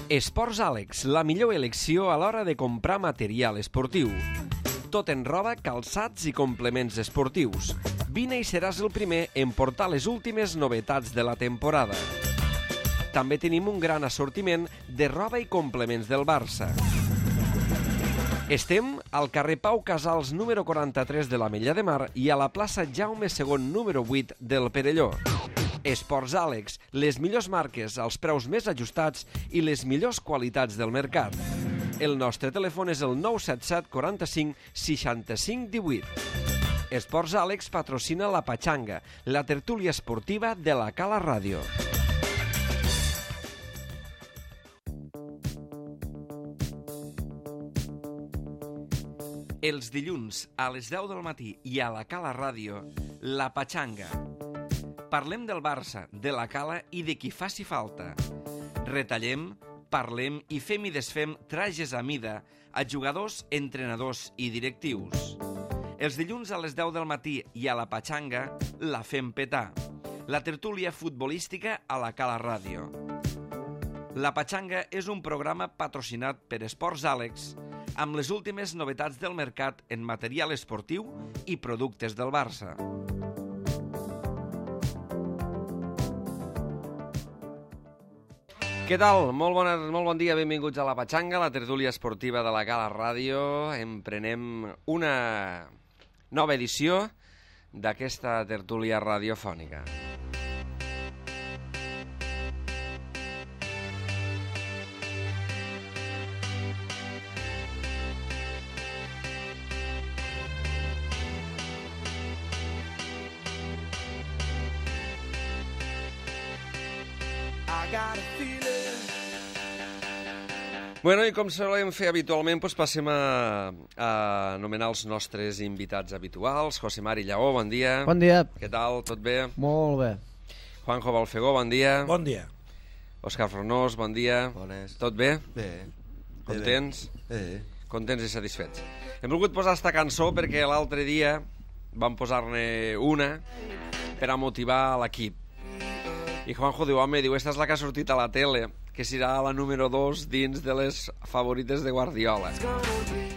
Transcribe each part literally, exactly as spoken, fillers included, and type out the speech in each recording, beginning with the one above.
Esports Àlex, la millor elecció a l'hora de comprar material esportiu. Tot en roba, calçats i complements esportius. Vine i seràs el primer en portar les últimes novetats de la temporada. També tenim un gran assortiment de roba i complements del Barça. Estem al carrer Pau Casals número quaranta-tres de l'Ametlla de Mar i a la plaça Jaume segon número vuit del Perelló. Esports Àlex, les millors marques, els preus més ajustats i les millors qualitats del mercat. El nostre telèfon és el nou set set quaranta-cinc seixanta-cinc divuit. Esports Àlex patrocina la Patxanga, la tertúlia esportiva de la Cala Ràdio. Els dilluns a les deu del matí i a la Cala Ràdio, la Patxanga. Parlem del Barça, de la Cala i de qui faci falta. Retallem, parlem i fem i desfem trajes a mida a jugadors, entrenadors i directius. Els dilluns a les deu del matí i a la Patxanga la fem petar. La tertúlia futbolística a la Cala Ràdio. La Patxanga és un programa patrocinat per Esports Àlex amb les últimes novetats del mercat en material esportiu i productes del Barça. Què tal? Molt, bona, molt bon dia, benvinguts a la Patxanga, la tertúlia esportiva de la Cala Ràdio. Emprenem una nova edició d'aquesta tertúlia radiofònica. Bueno, i com solem fer habitualment, doncs passem a, a anomenar els nostres invitats habituals. José Mari Lleó, bon dia. Bon dia. Què tal? Tot bé? Molt bé. Juanjo Balfegó, bon dia. Bon dia. Òscar Fornós, bon dia. Bones. Tot bé? Bé. Contents? Bé. Contents i satisfets. Hem volgut posar esta cançó perquè l'altre dia vam posar-ne una per a motivar l'equip. I Juanjo diu, home, diu, esta és la que ha sortit a la tele, que serà la número dos dins de les favorites de Guardiola.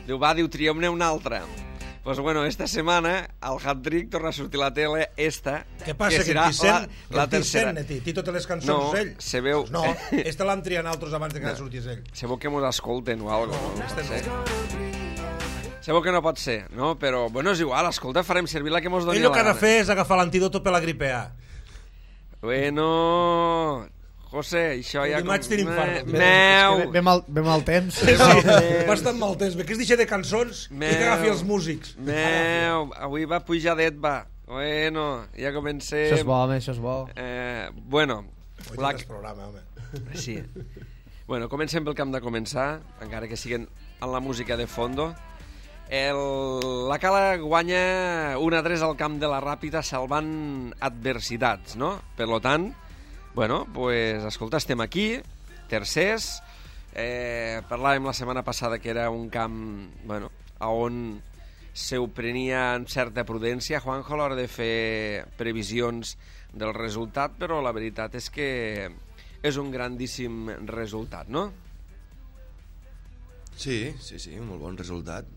Diu, va, diu, triem-ne una altra. Doncs, pues, bueno, esta setmana, al hat-trick torna a sortir a la tele esta, què passa, que serà que Vicent, la, la tercera. Que té totes les cançons no, ell? Se veu... Pues no, esta l'han triat altres abans de que no. sortís ell. Se veu que mos escolten o algo. No, no, este no. Se veu que no pot ser, no? Però, bueno, és igual, escolta, farem servir la que mos doni ell la el que ha de gana. fer és agafar l'antídoto per la gripe A. Bueno... José, això ja... Dimarts tenim fart. Meu! Ve mal, ve mal temps. Sí, bastant mal temps. Que es deixa de cançons i que agafi els músics. Meu, avui va pujadet, va. Bueno, ja comencem. Això és bo, home, això és bo. Eh, bueno. Avui la... tens programa, home. Sí. Bueno, comencem pel que hem de començar, encara que siguin en la música de fondo. El... La Cala guanya un a tres al camp de la Ràpita salvant adversitats, no? Per lo tant, bueno, pues, escolta, estem aquí, tercers. Eh, parlàvem la setmana passada que era un camp, bueno, on se ho prenia amb certa prudència, Juanjo, a l'hora de fer previsions del resultat, però la veritat és que és un grandíssim resultat, no? Sí, sí, sí, un molt bon resultat.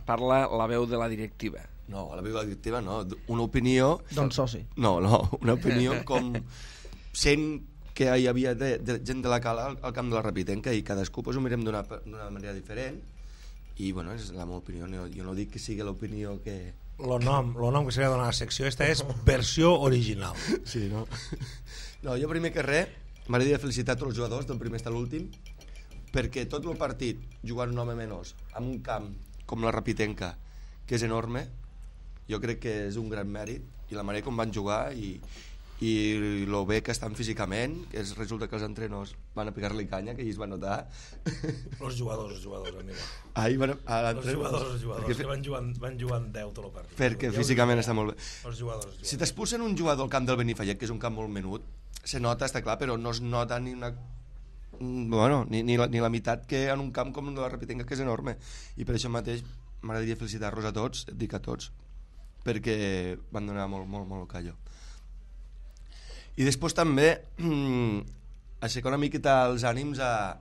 Parla la veu de la directiva. No, la veu de la directiva no, una opinió... Don soci. No, no, una opinió com... sent que hi havia de, de, gent de la Cala al, al camp de la Rapitenca i cadascú pues, ho mirem d'una manera diferent i bueno, és la meva opinió, no, jo no dic que sigui l'opinió que... Lo nom, lo nom que se li ha donat a la secció esta és versió original. Sí, no? No, jo primer que res m'agradaria felicitar tots els jugadors del primer fins a l'últim perquè tot el partit jugant un home menys en un camp com la Rapitenca que és enorme, jo crec que és un gran mèrit i la manera com van jugar i i lo bé que estan físicament, que és, resulta que els entrenadors van a pegar-li canya, que ells van notar. Els jugadors, els jugadors, amigo. Ahí van a els jugadors, els jugadors, perquè, que van jugant, van jugant deu tot el partit. Perquè ja físicament està molt bé. Els jugadors, els jugadors. Si t'expulsen un jugador al camp del Benifallet, que és un camp molt menut, se nota, està clar, però no es nota ni una... Bueno, ni, ni, la, ni la meitat que en un camp com el de la Rapitenca, que és enorme. I per això mateix m'agradaria felicitar-los a tots, et dic a tots, perquè van donar molt, molt, molt callo. I després també aixecar una miqueta els ànims a,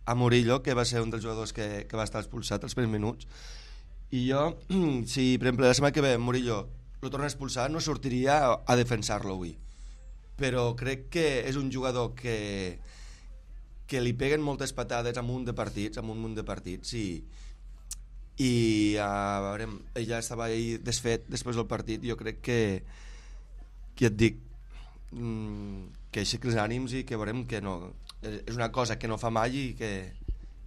a Murillo, que va ser un dels jugadors que, que va estar expulsat els primers minuts. I jo, si per exemple la setmana que ve Murillo lo torna a expulsar, no sortiria a, a defensar-lo avui. Però crec que és un jugador que, que li peguen moltes patades a un munt de partits, a un munt de partits, i, i a veure, ella estava ahí desfet després del partit. Jo crec que, que et dic, que aixequi els ànims i que veurem que no, és una cosa que no fa mai i que,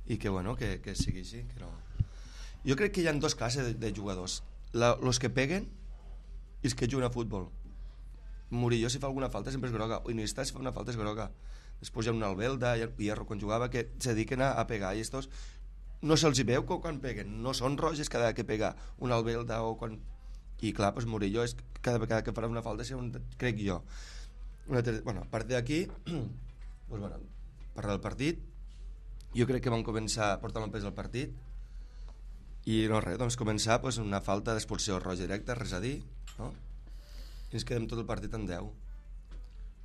i que, bueno, que, que sigui així, que no. Jo crec que hi ha dos classes de, de jugadors, la, los que peguen i els que juguen a futbol. Murillo, si fa alguna falta, sempre és groga. O Iniesta, si fa una falta, és groga. Després hi ha un Albelda i Hierro, quan jugava, que se dediquen a, a pegar, i estos no se'ls hi veu quan peguen, no són roges cada vegada que pega un Albelda o quan... I clar, pues Murillo és cada vegada que farà una falta, un... crec jo. Una ter... Bueno, a part d'aquí, pues bueno, parlar del partit, jo crec que vam començar a portar el pes al partit, i no res, doncs començar pues, una falta d'expulsió roja directa, res a dir, no? I ens quedem tot el partit en deu.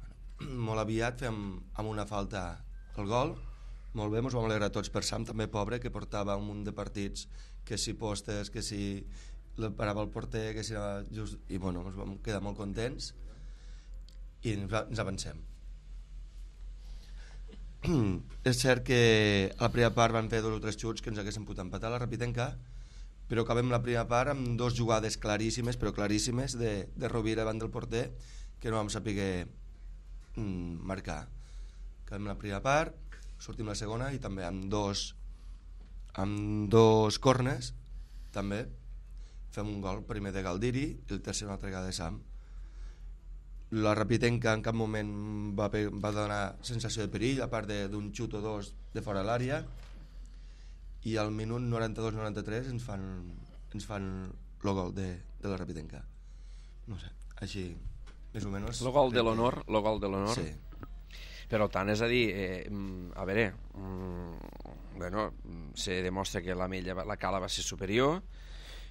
Bueno, molt aviat fem amb una falta el gol, molt bé, ens vam alegrar tots per Sam, també pobre, que portava un munt de partits, que si postes, que si el parava el porter, que si anava just... I bueno, ens vam quedar molt contents i ens, ens avancem. És cert que a la primera part van fer dos o tres xuts que ens haguessin pogut empatar la Rapitenca, però acabem la primera part amb dos jugades claríssimes, però claríssimes, de, de Rovira davant del porter, que no vam saber mm, marcar. Acabem la primera part, sortim la segona i també amb dos amb dos corners també fem un gol, primer de Galdiri i el tercer una altra vegada de Sam. La Rapitenca en cap moment va, va donar sensació de perill, a part d'un xut o dos de fora de l'àrea, i al minut noranta-dos noranta-tres ens fan ens fan el gol de, de la Rapitenca. No sé, així més o menys. El gol de l'honor, el gol de l'honor. Sí. Però tant, és a dir, eh, a veure, mm, bueno, se demostra que la Mella, la Cala va ser superior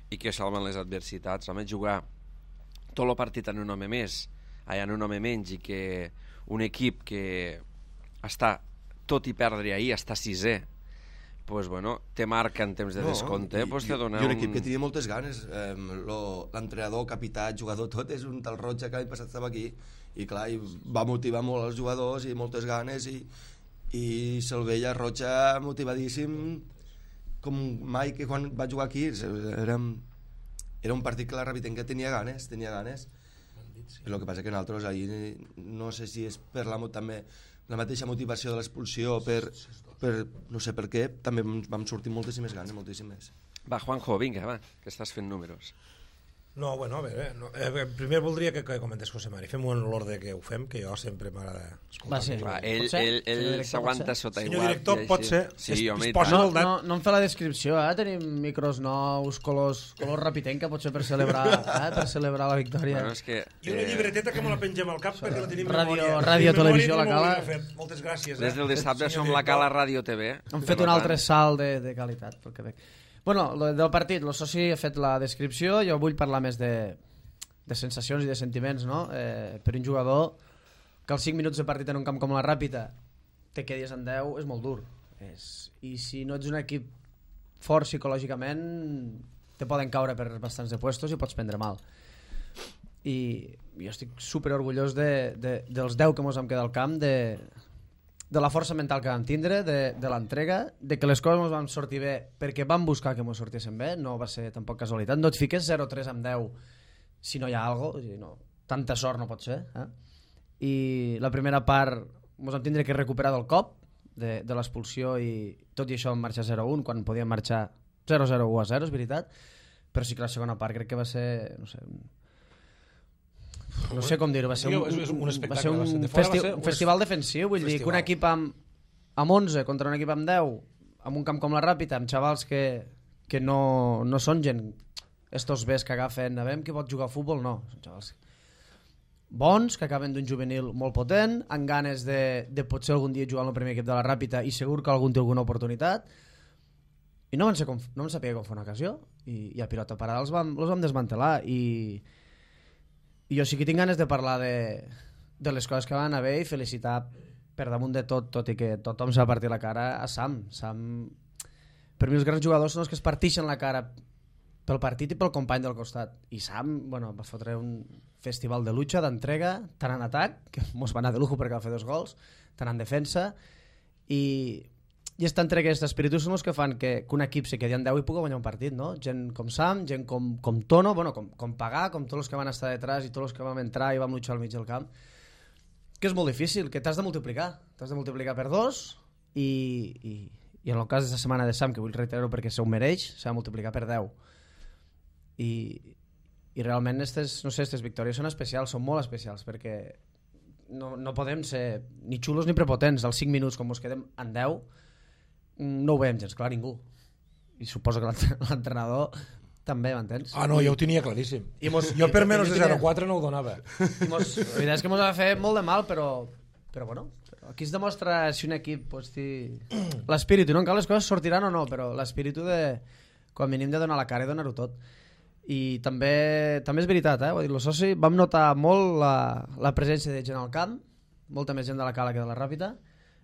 i que salven les adversitats. Home, jugar tot el partit en un home més, allà en un home menys, i que un equip que està, tot i perdre ahir, està sisè, pues bueno, te marca en temps de no, descompte, i, pues te dona i un un... equip que tenia moltes ganes, eh, l'entrenador, capità, jugador, tot és un tal Roig que l'any passat estava aquí, i clar, i va motivar molt els jugadors i moltes ganes, i, i se'l veia Roja motivadíssim com mai que quan va jugar aquí. Era, era un partit que la Rapitenca tenia ganes, tenia ganes. El que passa que nosaltres ahir no sé si és per la, també la mateixa motivació de l'expulsió, per, per no sé per què, també vam sortir moltíssimes ganes, moltíssimes. Va, Juanjo, vinga, va, que estàs fent números. No, bueno, a veure, no, eh, primer voldria que, que comentés José Mari. Fem-ho en l'ordre que ho fem, que jo sempre m'agrada escoltar. Va, sí. Va, ell ell, ell s'aguanta sota igual. Senyor director, pot ser. Sí, es, home, es posa No, el dat. no, no em fa la descripció, eh? Tenim micros nous, colors, colors Rapitenca, potser per celebrar, eh? per celebrar la victòria. Bueno, és que, I una eh, llibreteta que me la pengem al cap perquè la tenim Ràdio- memòria. ràdio, Tenim memòria televisió, i no la Cala. m'ho volia fer. Moltes gràcies. Eh? des del dissabte Senyor som la director. Cala Ràdio T V. Hem fet un altre salt de, de qualitat pel Quebec. Bueno, lo del partit, el soci ha fet la descripció, jo vull parlar més de, de sensacions i de sentiments, no? Eh, per un jugador que als cinc minuts de partit en un camp com la Ràpita te quedis en deu és molt dur. És... I si no ets un equip fort psicològicament te poden caure per bastants de puestos i pots prendre mal. I jo estic super orgullós de, de, dels deu que mos vam quedar al camp, de, de la força mental que vam tindre, de, de l'entrega, de que les coses mos van sortir bé perquè vam buscar que mos sortissin bé, no va ser tampoc casualitat. No et fiques zero tres amb deu si no hi ha alguna cosa, no, tanta sort no pot ser. Eh? I la primera part mos vam tindre que recuperar del cop de, de l'expulsió, i tot i això vam marxar zero un quan podíem marxar zero zero u a zero, és veritat, però sí que la segona part crec que va ser, no sé, no sé com dir-ho, va ser un, És un va espectacle, ser un, va ser- de fora festi va ser un un festival defensiu, vull dir que un festival. equip amb, amb onze contra un equip amb deu, amb un camp com la Ràpita, amb xavals que, que no, no són gent estos bes que agafen, a veure qui pot jugar a futbol, no, són xavals bons, que acaben d'un juvenil molt potent, amb ganes de, de potser algun dia jugar en el primer equip de la Ràpita, i segur que algun té alguna oportunitat, i no van, ser com, no van saber com fer una ocasió, i, i a pilota parada els vam, els vam desmantelar, i, i jo sí que tinc ganes de parlar de, de les coses que van anar bé i felicitar per damunt de tot, tot i que tothom s'ha partit la cara, a Sam. Sam, per mi els grans jugadors són els que es partixen la cara pel partit i pel company del costat. I Sam, bueno, va fotre un festival de lucha, d'entrega, tant en atac, que mos va anar de lujo perquè va fer dos gols, tant en defensa, i, i aquesta entrega i aquest espíritu són els que fan que, que un equip se quedi en deu i pugui guanyar un partit, no? Gent com Sam, gent com, com Tono, bueno, com, com Pagà, com tots els que van estar detrás i tots els que vam entrar i vam luchar al mig del camp, que és molt difícil, que t'has de multiplicar, t'has de multiplicar per dos i, i, i en el cas d'aquesta setmana de Sam, que vull reiterar-ho perquè se ho mereix, s'ha de multiplicar per deu. I, i realment aquestes, no sé, aquestes victòries són especials, són molt especials, perquè no, no podem ser ni xulos ni prepotents. Als cinc minuts, com ens quedem en deu, no ho veiem gens clar ningú. I suposo que l'entrenador també, m'entens? Ah, no, jo ho tenia claríssim. I mos, jo per menys de tenia... zero quatre no ho donava. I mos, la veritat és que ens va fer molt de mal, però, però bueno, aquí es demostra si un equip pues, té l'espíritu, no? Encara les coses sortiran o no, però l'espíritu de, quan mínim de donar la cara i donar-ho tot. I també, també és veritat, eh? Vull dir, el soci, vam notar molt la, la presència de gent al camp, molta més gent de la Cala que de la Ràpita.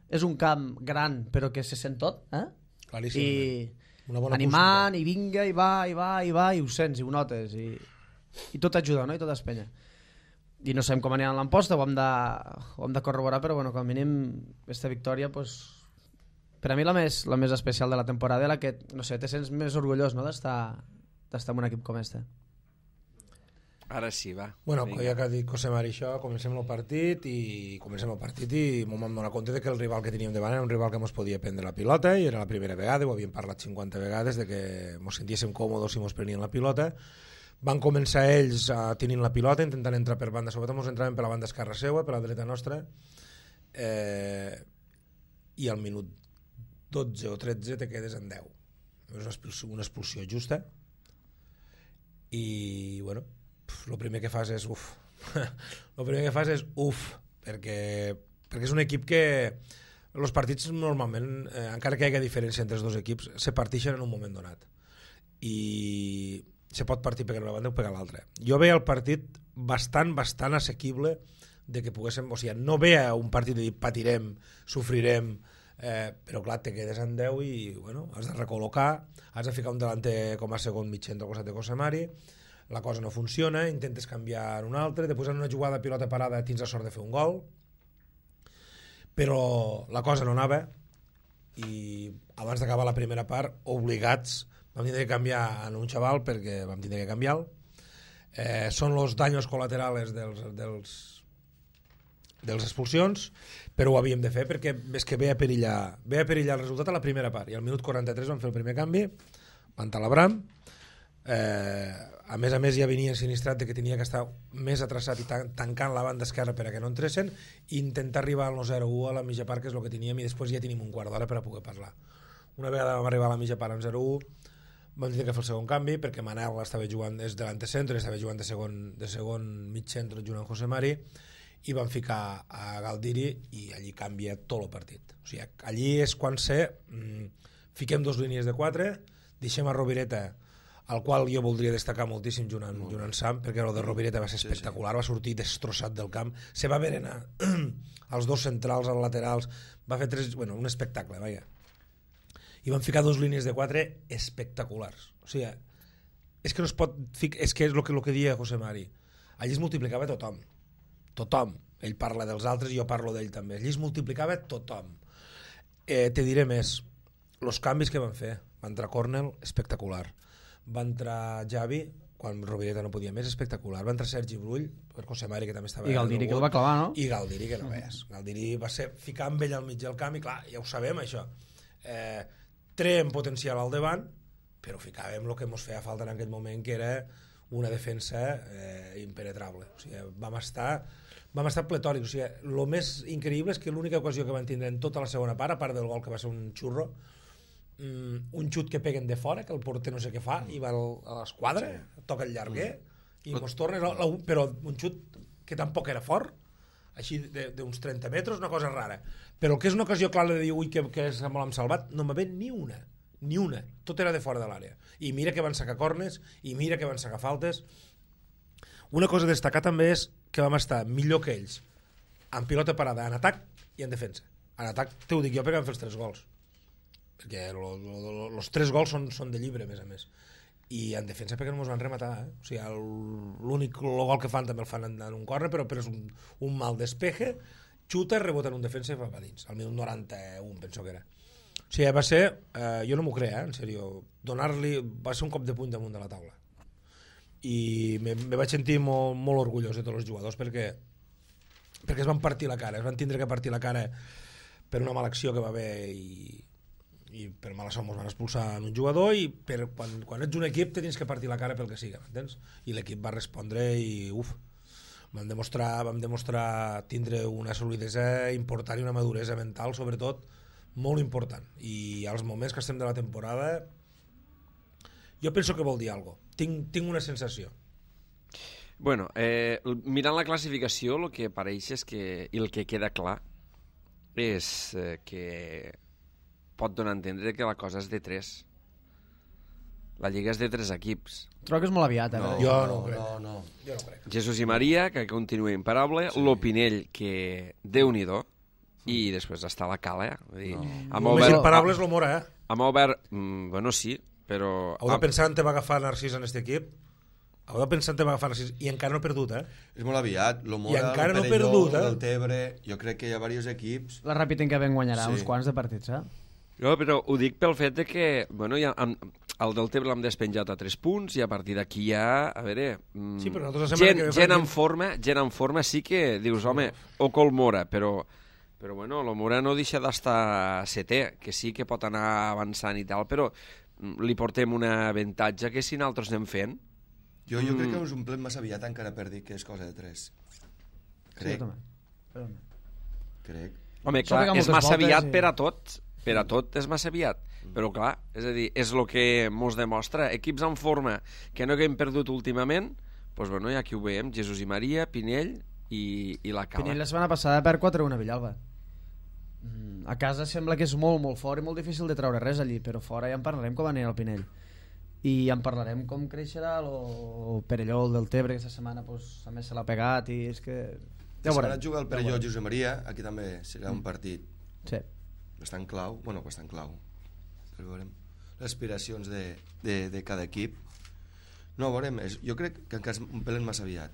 És un camp gran, però que se sent tot, eh? Claríssim. I una bona animant, acústica. i vinga, i va, i va, i va, i ho sents, i ho notes, i, i tot ajuda, no? I tot espenya. I no sabem com anirà en l'emposta, ho hem de, ho hem de corroborar, però bueno, com a mínim aquesta victòria, pues, per a mi la més, la més especial de la temporada, la que, no sé, te sents més orgullós, no?, d'estar d'estar en un equip com este. Ara sí, va. Bueno, Vinga. ja que ha dit José Mari això, comencem el partit i comencem el partit i m'ho vam donar compte de que el rival que teníem davant era un rival que ens podia prendre la pilota i era la primera vegada, ho havíem parlat cinquanta vegades de que ens sentíssim còmodes si ens prenien la pilota. Van començar ells a tenint la pilota, intentant entrar per banda, sobretot ens entraven per la banda esquerra seua, per la dreta nostra, eh, i al minut dotze o tretze te quedes en deu. És una expulsió, una expulsió justa i, bueno, el primer que fas és uf. El primer que fas és uf, perquè, perquè és un equip que els partits normalment, eh, encara que hi hagi diferència entre els dos equips, se partixen en un moment donat i se pot partir per una banda o per l'altra. Jo veia el partit bastant, bastant assequible de que poguéssim, o sigui, no veia un partit de dir patirem, sofrirem, eh, però clar, te quedes en deu i bueno, has de recol·locar, has de ficar un delanter com a segon mig centre al costat de José Mari, la cosa no funciona, intentes canviar un altre, després en una jugada de pilota parada tens la sort de fer un gol, però la cosa no anava i abans d'acabar la primera part, obligats, vam tindre que canviar en un xaval perquè vam tindre que canviar-lo. Eh, són els danys col·laterals dels, dels, dels expulsions, però ho havíem de fer perquè és que ve a perillar, ve a perillar el resultat a la primera part i al minut quaranta-tres vam fer el primer canvi, van talar Bram, eh, a més a més ja venia sinistrat de que tenia que estar més atraçat i tan tancant la banda esquerra per a que no entressin i intentar arribar al zero u a la mitja part, que és el que teníem, i després ja tenim un quart d'hora per a poder parlar. Una vegada vam arribar a la mitja part en zero u vam tenir que fer el segon canvi perquè Manel estava jugant des de l'antecentro, estava jugant de segon, de segon mig centre junt amb José Mari i van ficar a Galdiri i allí canvia tot el partit. O sigui, allí és quan sé mmm, fiquem dos línies de quatre, deixem a Rovireta, al qual jo voldria destacar moltíssim junt amb, junt amb Sam, perquè el de Rovireta va ser espectacular, va sortir destrossat del camp, se va berenar els dos centrals, els laterals, va fer tres, bueno, un espectacle, vaja. I van ficar dos línies de quatre espectaculars. O sigui, és que no es pot ficar, és que és el que, lo que dia José Mari. Allí es multiplicava tothom. Tothom. Ell parla dels altres i jo parlo d'ell també. Allí es multiplicava tothom. Eh, te diré més. Els canvis que van fer. Va entrar Cornel, espectacular. Va entrar Javi, quan Rovireta no podia més, espectacular. Va entrar Sergi Brull, per José Mari, que també estava... I Galdiri, que el va clavar, no? I Galdiri, que no veies. Galdiri va ser ficar amb ell al mig del camp i, clar, ja ho sabem, això. Eh, treem potencial al davant, però ficàvem el que ens feia falta en aquell moment, que era una defensa eh, impenetrable. O sigui, vam estar... vam estar pletòrics. O sigui, el més increïble és que l'única ocasió que van tindre en tota la segona part, a part del gol que va ser un xurro, um, un xut que peguen de fora, que el porter no sé què fa, i va al, a l'esquadra, toca el llarguer, i mos torna, però un xut que tampoc era fort, així d'uns trenta metres, una cosa rara. Però el que és una ocasió clara de dir, ui, que, que molt hem salvat, no m'ha ve ni una, ni una. Tot era de fora de l'àrea. I mira que van sacar cornes, i mira que van sacar faltes. Una cosa a destacar també és que vam estar millor que ells en pilota parada en atac i en defensa. En atac t'ho dic jo perquè vam fer els tres gols, perquè els tres gols són, són de llibre, a més a més, i en defensa perquè no ens van rematar, eh? O sigui, l'únic gol que fan també el fan en, en un córner, però, però és un, un mal despeje, xuta, rebota en un defensa i va a dins, al minut noranta-un penso que era. O sigui, va ser, eh, jo no m'ho crec, eh, en sèrio, donar-li, va ser un cop de puny damunt de la taula. I me, me vaig sentir molt, molt orgullós de tots els jugadors perquè, perquè es van partir la cara, es van tindre que partir la cara per una mala acció que va haver i, i per mala sort ens van expulsar en un jugador i per, quan, quan ets un equip te tens que partir la cara pel que sigui, m'entens? I l'equip va respondre i uf, vam demostrar, vam demostrar tindre una solidesa important i una maduresa mental sobretot molt important, i als moments que estem de la temporada jo penso que vol dir alguna cosa. Tinc, tinc una sensació. Bueno, eh, mirant la classificació, el que apareix és que, i el que queda clar, és eh, que pot donar a entendre que la cosa és de tres. La Lliga és de tres equips. Trobo que és molt aviat, eh? No, jo no, no, crec. no, no. Jo no crec. Jesús i Maria, que continua imparable, sí. L'Opinell, que Déu-n'hi-do, i després està la Cala. Vull dir, No. amb El més obert, imparable és l'Omora, eh? amb obert, mm, bueno, sí, però... Heu de pensar en te va agafar Narcís en aquest equip. Heu de pensar en te va agafar Narcís. I encara no ha perdut, eh? És molt aviat. I L'Omora, encara el no ha Perelló, perdut, eh? el Tebre... Jo crec que hi ha diversos equips... La Ràpid ben guanyarà Sí. uns quants de partits, eh? No, però ho dic pel fet de que, bueno, ja, amb, el del Tebre l'hem despenjat a tres punts i a partir d'aquí ja, a veure... Mm, Sí, però nosaltres la setmana gent, que ve gent farem- en forma, gent en forma sí que dius, home, o Colmora, però... Però bueno, l'Omora no deixa d'estar setè, que sí que pot anar avançant i tal, però mm, li portem una avantatge que si nosaltres anem fent... Jo, jo Mm. crec que us omplem massa aviat encara per dir que és cosa de tres. Sí, Crec, jo també. Però... crec. Home, Això clar, pega és moltes massa voltes aviat i- per a tot, per a tot és massa aviat, però clar, és a dir, és el que mos demostra, equips en forma que no haguem perdut últimament, doncs bueno, ja aquí ho veiem, Jesús i Maria, Pinell i, i la Cala. Pinell la setmana passada per quatre a un a Villalba. Mm, a casa sembla que és molt, molt fort i molt difícil de treure res allí, però fora ja en parlarem com anirà el Pinell. I en parlarem com creixerà el Perelló, el del Tebre, que aquesta setmana pues, a més se l'ha pegat i és que... Ja Ja ho veurem. veurem. Jugar el Ja ho Perelló veurem. Josep Maria, aquí també serà un partit Sí. bastant clau, bueno, bastant clau. Però veurem les aspiracions de, de, de cada equip. No, veurem, és, jo crec que encara és un pelen massa aviat.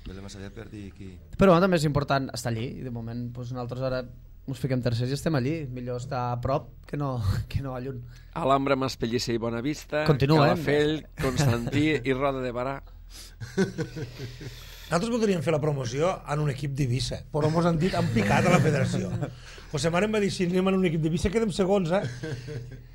Un pelen massa aviat per dir qui... Però bueno, també és important estar allí i de moment pues, nosaltres ara ens fiquem tercers i estem allí. Millor estar a prop que no, que no a lluny. Alhambra, Maspellicer i Bonavista, Continua, eh? Calafell, Constantí i Roda de Barà. Nosaltres voldríem fer la promoció en un equip d'Eivissa, però ens han dit, han picat a la federació. José Mare em va dir, si anem en un equip d'Eivissa quedem segons, eh?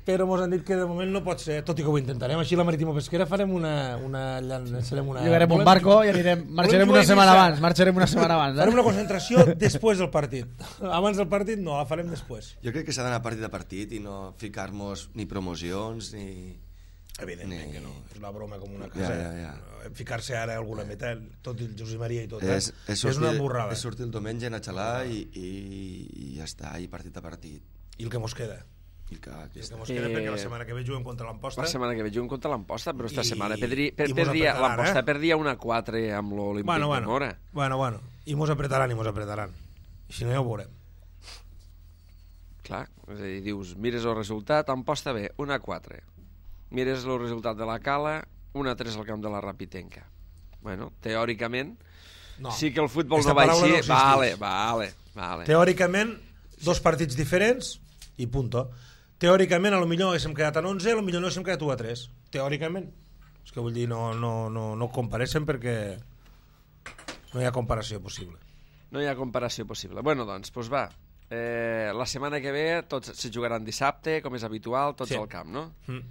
Però ens han dit que de moment no pot ser, tot i que ho intentarem. Així la Marítima Pesquera farem una... una, llançarem una Llogarem un volem- barco i anirem, marxarem volem una jugar a setmana Eivissa. abans, marxarem una setmana abans. Farem Eh? una concentració després del partit. Abans del partit no, la farem després. Jo crec que s'ha d'anar partit a partit i no ficar-nos ni promocions ni... Evidentment Ni- que no, és una broma com una casa. Ja, ja, ja. Ficar-se ara a alguna meta, tot el Josep Maria i tot, És, eh? és, sortir, una borrada. és sortir el diumenge, anar a xalar i, i, i ja està, i partit a partit. I el que mos queda. I que, que I el està. que mos queda Eh, perquè la setmana que ve juguem contra l'Amposta. La setmana que ve juguem contra l'Amposta, però esta I- setmana perdria, per, i mos perdria, apretaran, l'Amposta eh? perdia una quatre amb l'Olímpic Bueno, de bueno, Mora. bueno, bueno. I mos apretaran i mos apretaran. I si no ja ho veurem. Clar, és a dir, dius, mires el resultat, Amposta bé, una quatre. Mires el resultat de la Cala, una tres al camp de la Rapitenca. Bueno, teòricament, No. sí que el futbol Esta no va paraula així, no existeix. vale, vale, vale. Teòricament, dos partits diferents i punto. Teòricament, a lo millor haguéssim quedat en onze, a lo millor no haguéssim quedat u a tres. Teòricament. És que vull dir, no, no, no, no compareixen perquè no hi ha comparació possible. No hi ha comparació possible. Bueno, doncs, doncs va. Eh, la setmana que ve tots se jugaran dissabte, com és habitual, tots Sí. al camp, no? Mm.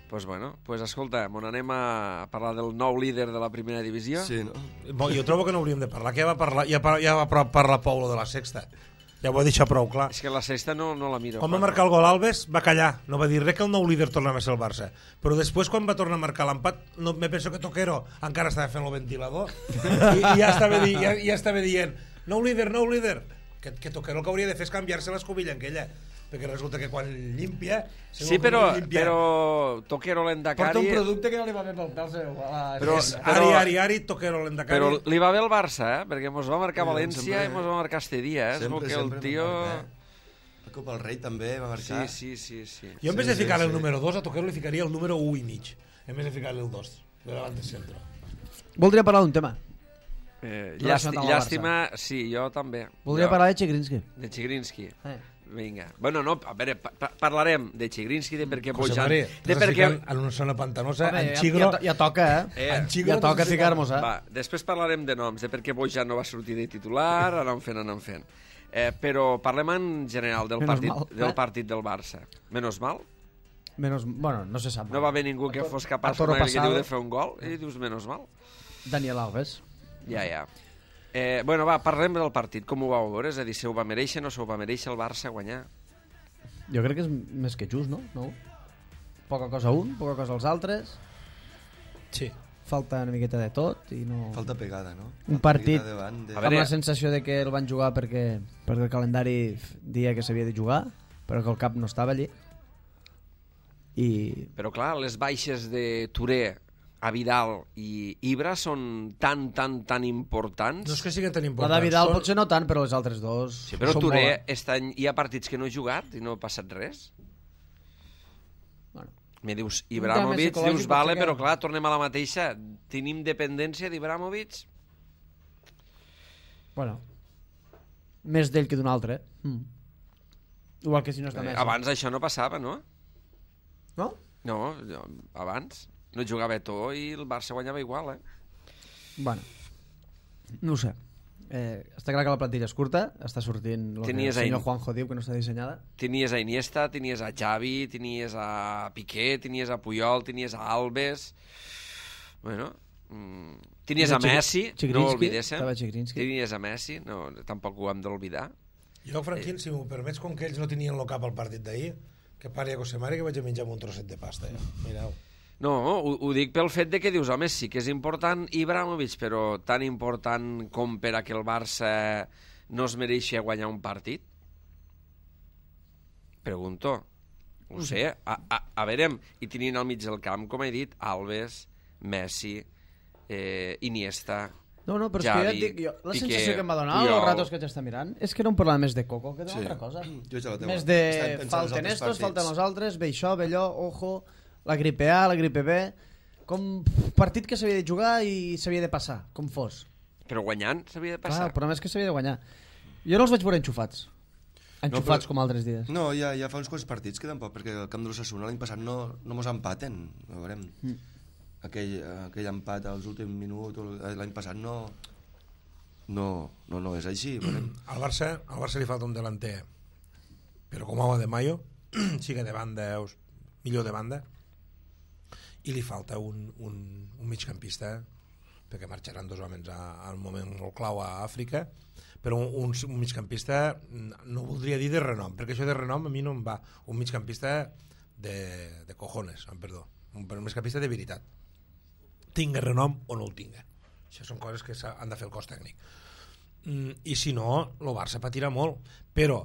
Doncs bueno, pues escolta, on anem a parlar del nou líder de la primera divisió? Sí, no? Bo, jo trobo que no hauríem de parlar, que ja va parlar, ja, pa- ja va par- parlar Paulo de la sexta. Ja ho ha deixat prou clar. És que la sexta no, no la miro. Quan va marcar el gol Alves, va callar, no va dir res, que el nou líder tornava a ser el Barça. Però després, quan va tornar a marcar l'empat, no, me penso que Toquero encara estava fent el ventilador i, i ja, estava di, ja, ja estava dient nou líder, nou líder. Que, que Toquero el que hauria de fer és canviar-se l'escobilla en aquella. perquè resulta que quan limpia... Sí, però, però Toquero l'Endacari... Porta un producte que no li va bé pel pèl seu. Però, Ari, però, Ari, Ari, Toquero l'Endacari... però li va bé el Barça, eh? Perquè mos va marcar Sí, València sempre- i mos va marcar este dia, eh? És Sempre, el que el sempre tio... va marcar. La Copa del Rei també va marcar. Sí, sí, sí, sí. Jo en vez de Sí, sí, ficar-li el sí. número dos, a Toquero li ficaria el número u i mig. En vez de ficar-li el dos, de davant de centre. Voldria parlar d'un tema. Eh, Relacionat llàstima, amb el llàstima, sí, jo també. Voldria jo, parlar de Chigrinsky. De Chigrinsky. Eh. Vinga. Bueno, no, a veure, pa pa parlarem de Chigrinsky, de per què José Bojan... Mari, De t'estàs per què... ficant en una zona pantanosa, Home, en ja, Xigro... ja, ja toca, eh? Eh, En Xigro Ja toca t'estàs ficar-nos, eh? Va, després parlarem de noms, de per què Bojan no va sortir de titular, anem fent, anem fent. Eh, però parlem en general del Menos partit, mal, del eh? partit del Barça. Menos mal? Menos, bueno, no se sap. No va haver ningú que fos capaç, a toro com aquell que pasado. diu, de fer un gol? I dius, menos mal? Daniel Alves. Ja, ja. Eh, bueno, va, parlem del partit. Com ho vau veure? És a dir, se ho va mereixer, no se ho va mereixer el Barça guanyar? Jo crec que és més que just, no? no? Poca cosa un, poca cosa als altres. Sí. Falta una miqueta de tot i no... Falta pegada, no? Un Falta partit- pegada davant de... A Amb veure- la sensació de que el van jugar perquè, perquè el calendari dia que s'havia de jugar, però que el cap no estava allí. I... Però clar, les baixes de Touré, a Vidal i Ibra són tan, tan, tan importants. No és que siguin tan La importants. de Vidal són- potser no tant, però les altres dos... Sí, però són Touré, molt, eh? aquest any hi ha partits que no he jugat i no ha passat res. Bueno, Me dius Un Ibrahimovic, tema psicològic dius, vale, potser que- però clar, tornem a la mateixa. Tenim dependència d'Ibrahimovic? bueno. Més d'ell que d'un altre. Mm. Igual que si no està Eh, Messi. abans això no passava, no? No? No, jo- abans no jugava Eto'o i el Barça guanyava igual, eh? Bueno, no ho sé. Eh, està clar que la plantilla és curta, està sortint el que el Tenies senyor ahí- Juanjo diu que no està dissenyada. Tenies a Iniesta, tenies a Xavi, tenies a Piqué, tenies a Puyol, tenies a Alves... Bueno... Mm, tenies a Chig- Messi, no Chigrinsky, ho oblidéssim. estava Chigrinsky. Tenies a Messi, no, tampoc ho hem d'oblidar. Jo, Franquín, si m'ho permets, com que ells no tenien el cap al partit d'ahir, que pari a José Mari que vaig a menjar amb un trosset de pasta. Ja. Mireu. No, ho, ho dic pel fet de que dius, home, sí que és important Ibrahimovic, però tan important com per a que el Barça no es mereixi guanyar un partit? Pregunto. Ho sé. A, a, a veure, i tenint al mig del camp, com he dit, Alves, Messi, eh, Iniesta... No, no, però és Xavi, que ja et dic, jo, la Piqué, sensació que em va donar Puyol. els ratos que t'està mirant és que era un problema més de Coco que d'una Sí. altra cosa. Jo ja la tengo. Més de Estàvem pensant als falten altres estos, partits. falten els altres, ve això, ve allò, ojo, la gripe A, la gripe B... Com partit que s'havia de jugar i s'havia de passar, com fos. Però guanyant s'havia de Clar, passar. el problema és que s'havia de guanyar. Jo no els vaig veure enxufats. Enxufats però- com altres dies. No, ja, ja fa uns quants partits que tampoc, perquè el camp de l'Ossassuna l'any passat no, no mos empaten. A veure, Mm. aquell, aquell empat als últims minuts, o l'any passat no... No, no, no és així. Veurem. Al Barça, al Barça li falta un delanter, però com home de Mayo, siga de banda, o millor de banda, i li falta un, un, un migcampista, perquè marxaran dos homes a, a un moment molt clau a Àfrica, però un, un, un migcampista, no voldria dir de renom, perquè això de renom a mi no em va, un migcampista de, de cojones, em perdó, un, un migcampista de veritat, tinga renom o no el tinga. Això són coses que han de fer el cos tècnic. Mm, I si no, el Barça patirà molt. Però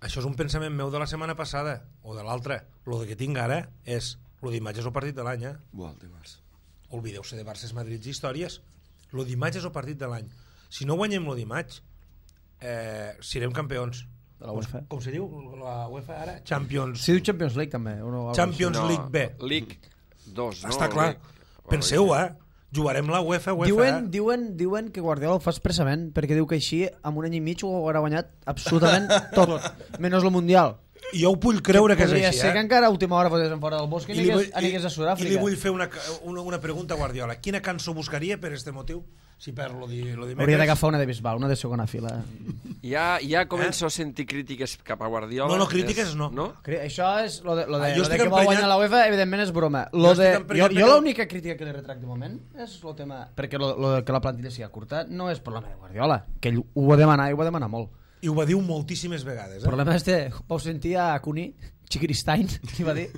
això és un pensament meu de la setmana passada, o de l'altra. El que tinc ara és, el d'imatge és el partit de l'any, eh? Buah, el dimarts. Oblideu-se de Barça, Madrid i històries. El d'imatge és el partit de l'any. Si no guanyem el d'imatge, eh, serem campions. De la UEFA. Com se diu la UEFA ara? Champions, Si diu Champions League també. O no, algo Champions No, League B. League dos, no? Està clar. League- Penseu, eh? Jugarem la UEFA, UEFA. Diuen, eh? diuen, diuen que Guardiola ho fa expressament perquè diu que així amb un any i mig ho haurà guanyat absolutament tot, menys el Mundial. I jo ho vull creure que, que és Podria així, ser eh? que encara a última hora fossin fora del bosc i, I li, vull, anigués, anigués a i, Sud-àfrica. I li vull fer una, una, una pregunta a Guardiola. Quina cançó buscaria per este motiu? Si perd lo di, lo dimecres. Hauria d'agafar una de Bisbal, una de segona fila. Ja, ja començo a sentir crítiques cap a Guardiola. No, no, crítiques no. no? Cre- Això és lo de, lo de, Ah, jo lo de estic que va emprenyat- guanyar la UEFA, evidentment és broma. Lo Jo de, estic jo, emprenyat jo perquè- l'única crítica que li retracte de moment és el tema... Perquè lo, lo de que la plantilla sigui curta no és problema de Guardiola, que ell ho va demanar i ho va demanar molt. I ho va dir moltíssimes vegades. El Eh? problema és que vau sentir a Cuní, Chigristein, li va dir...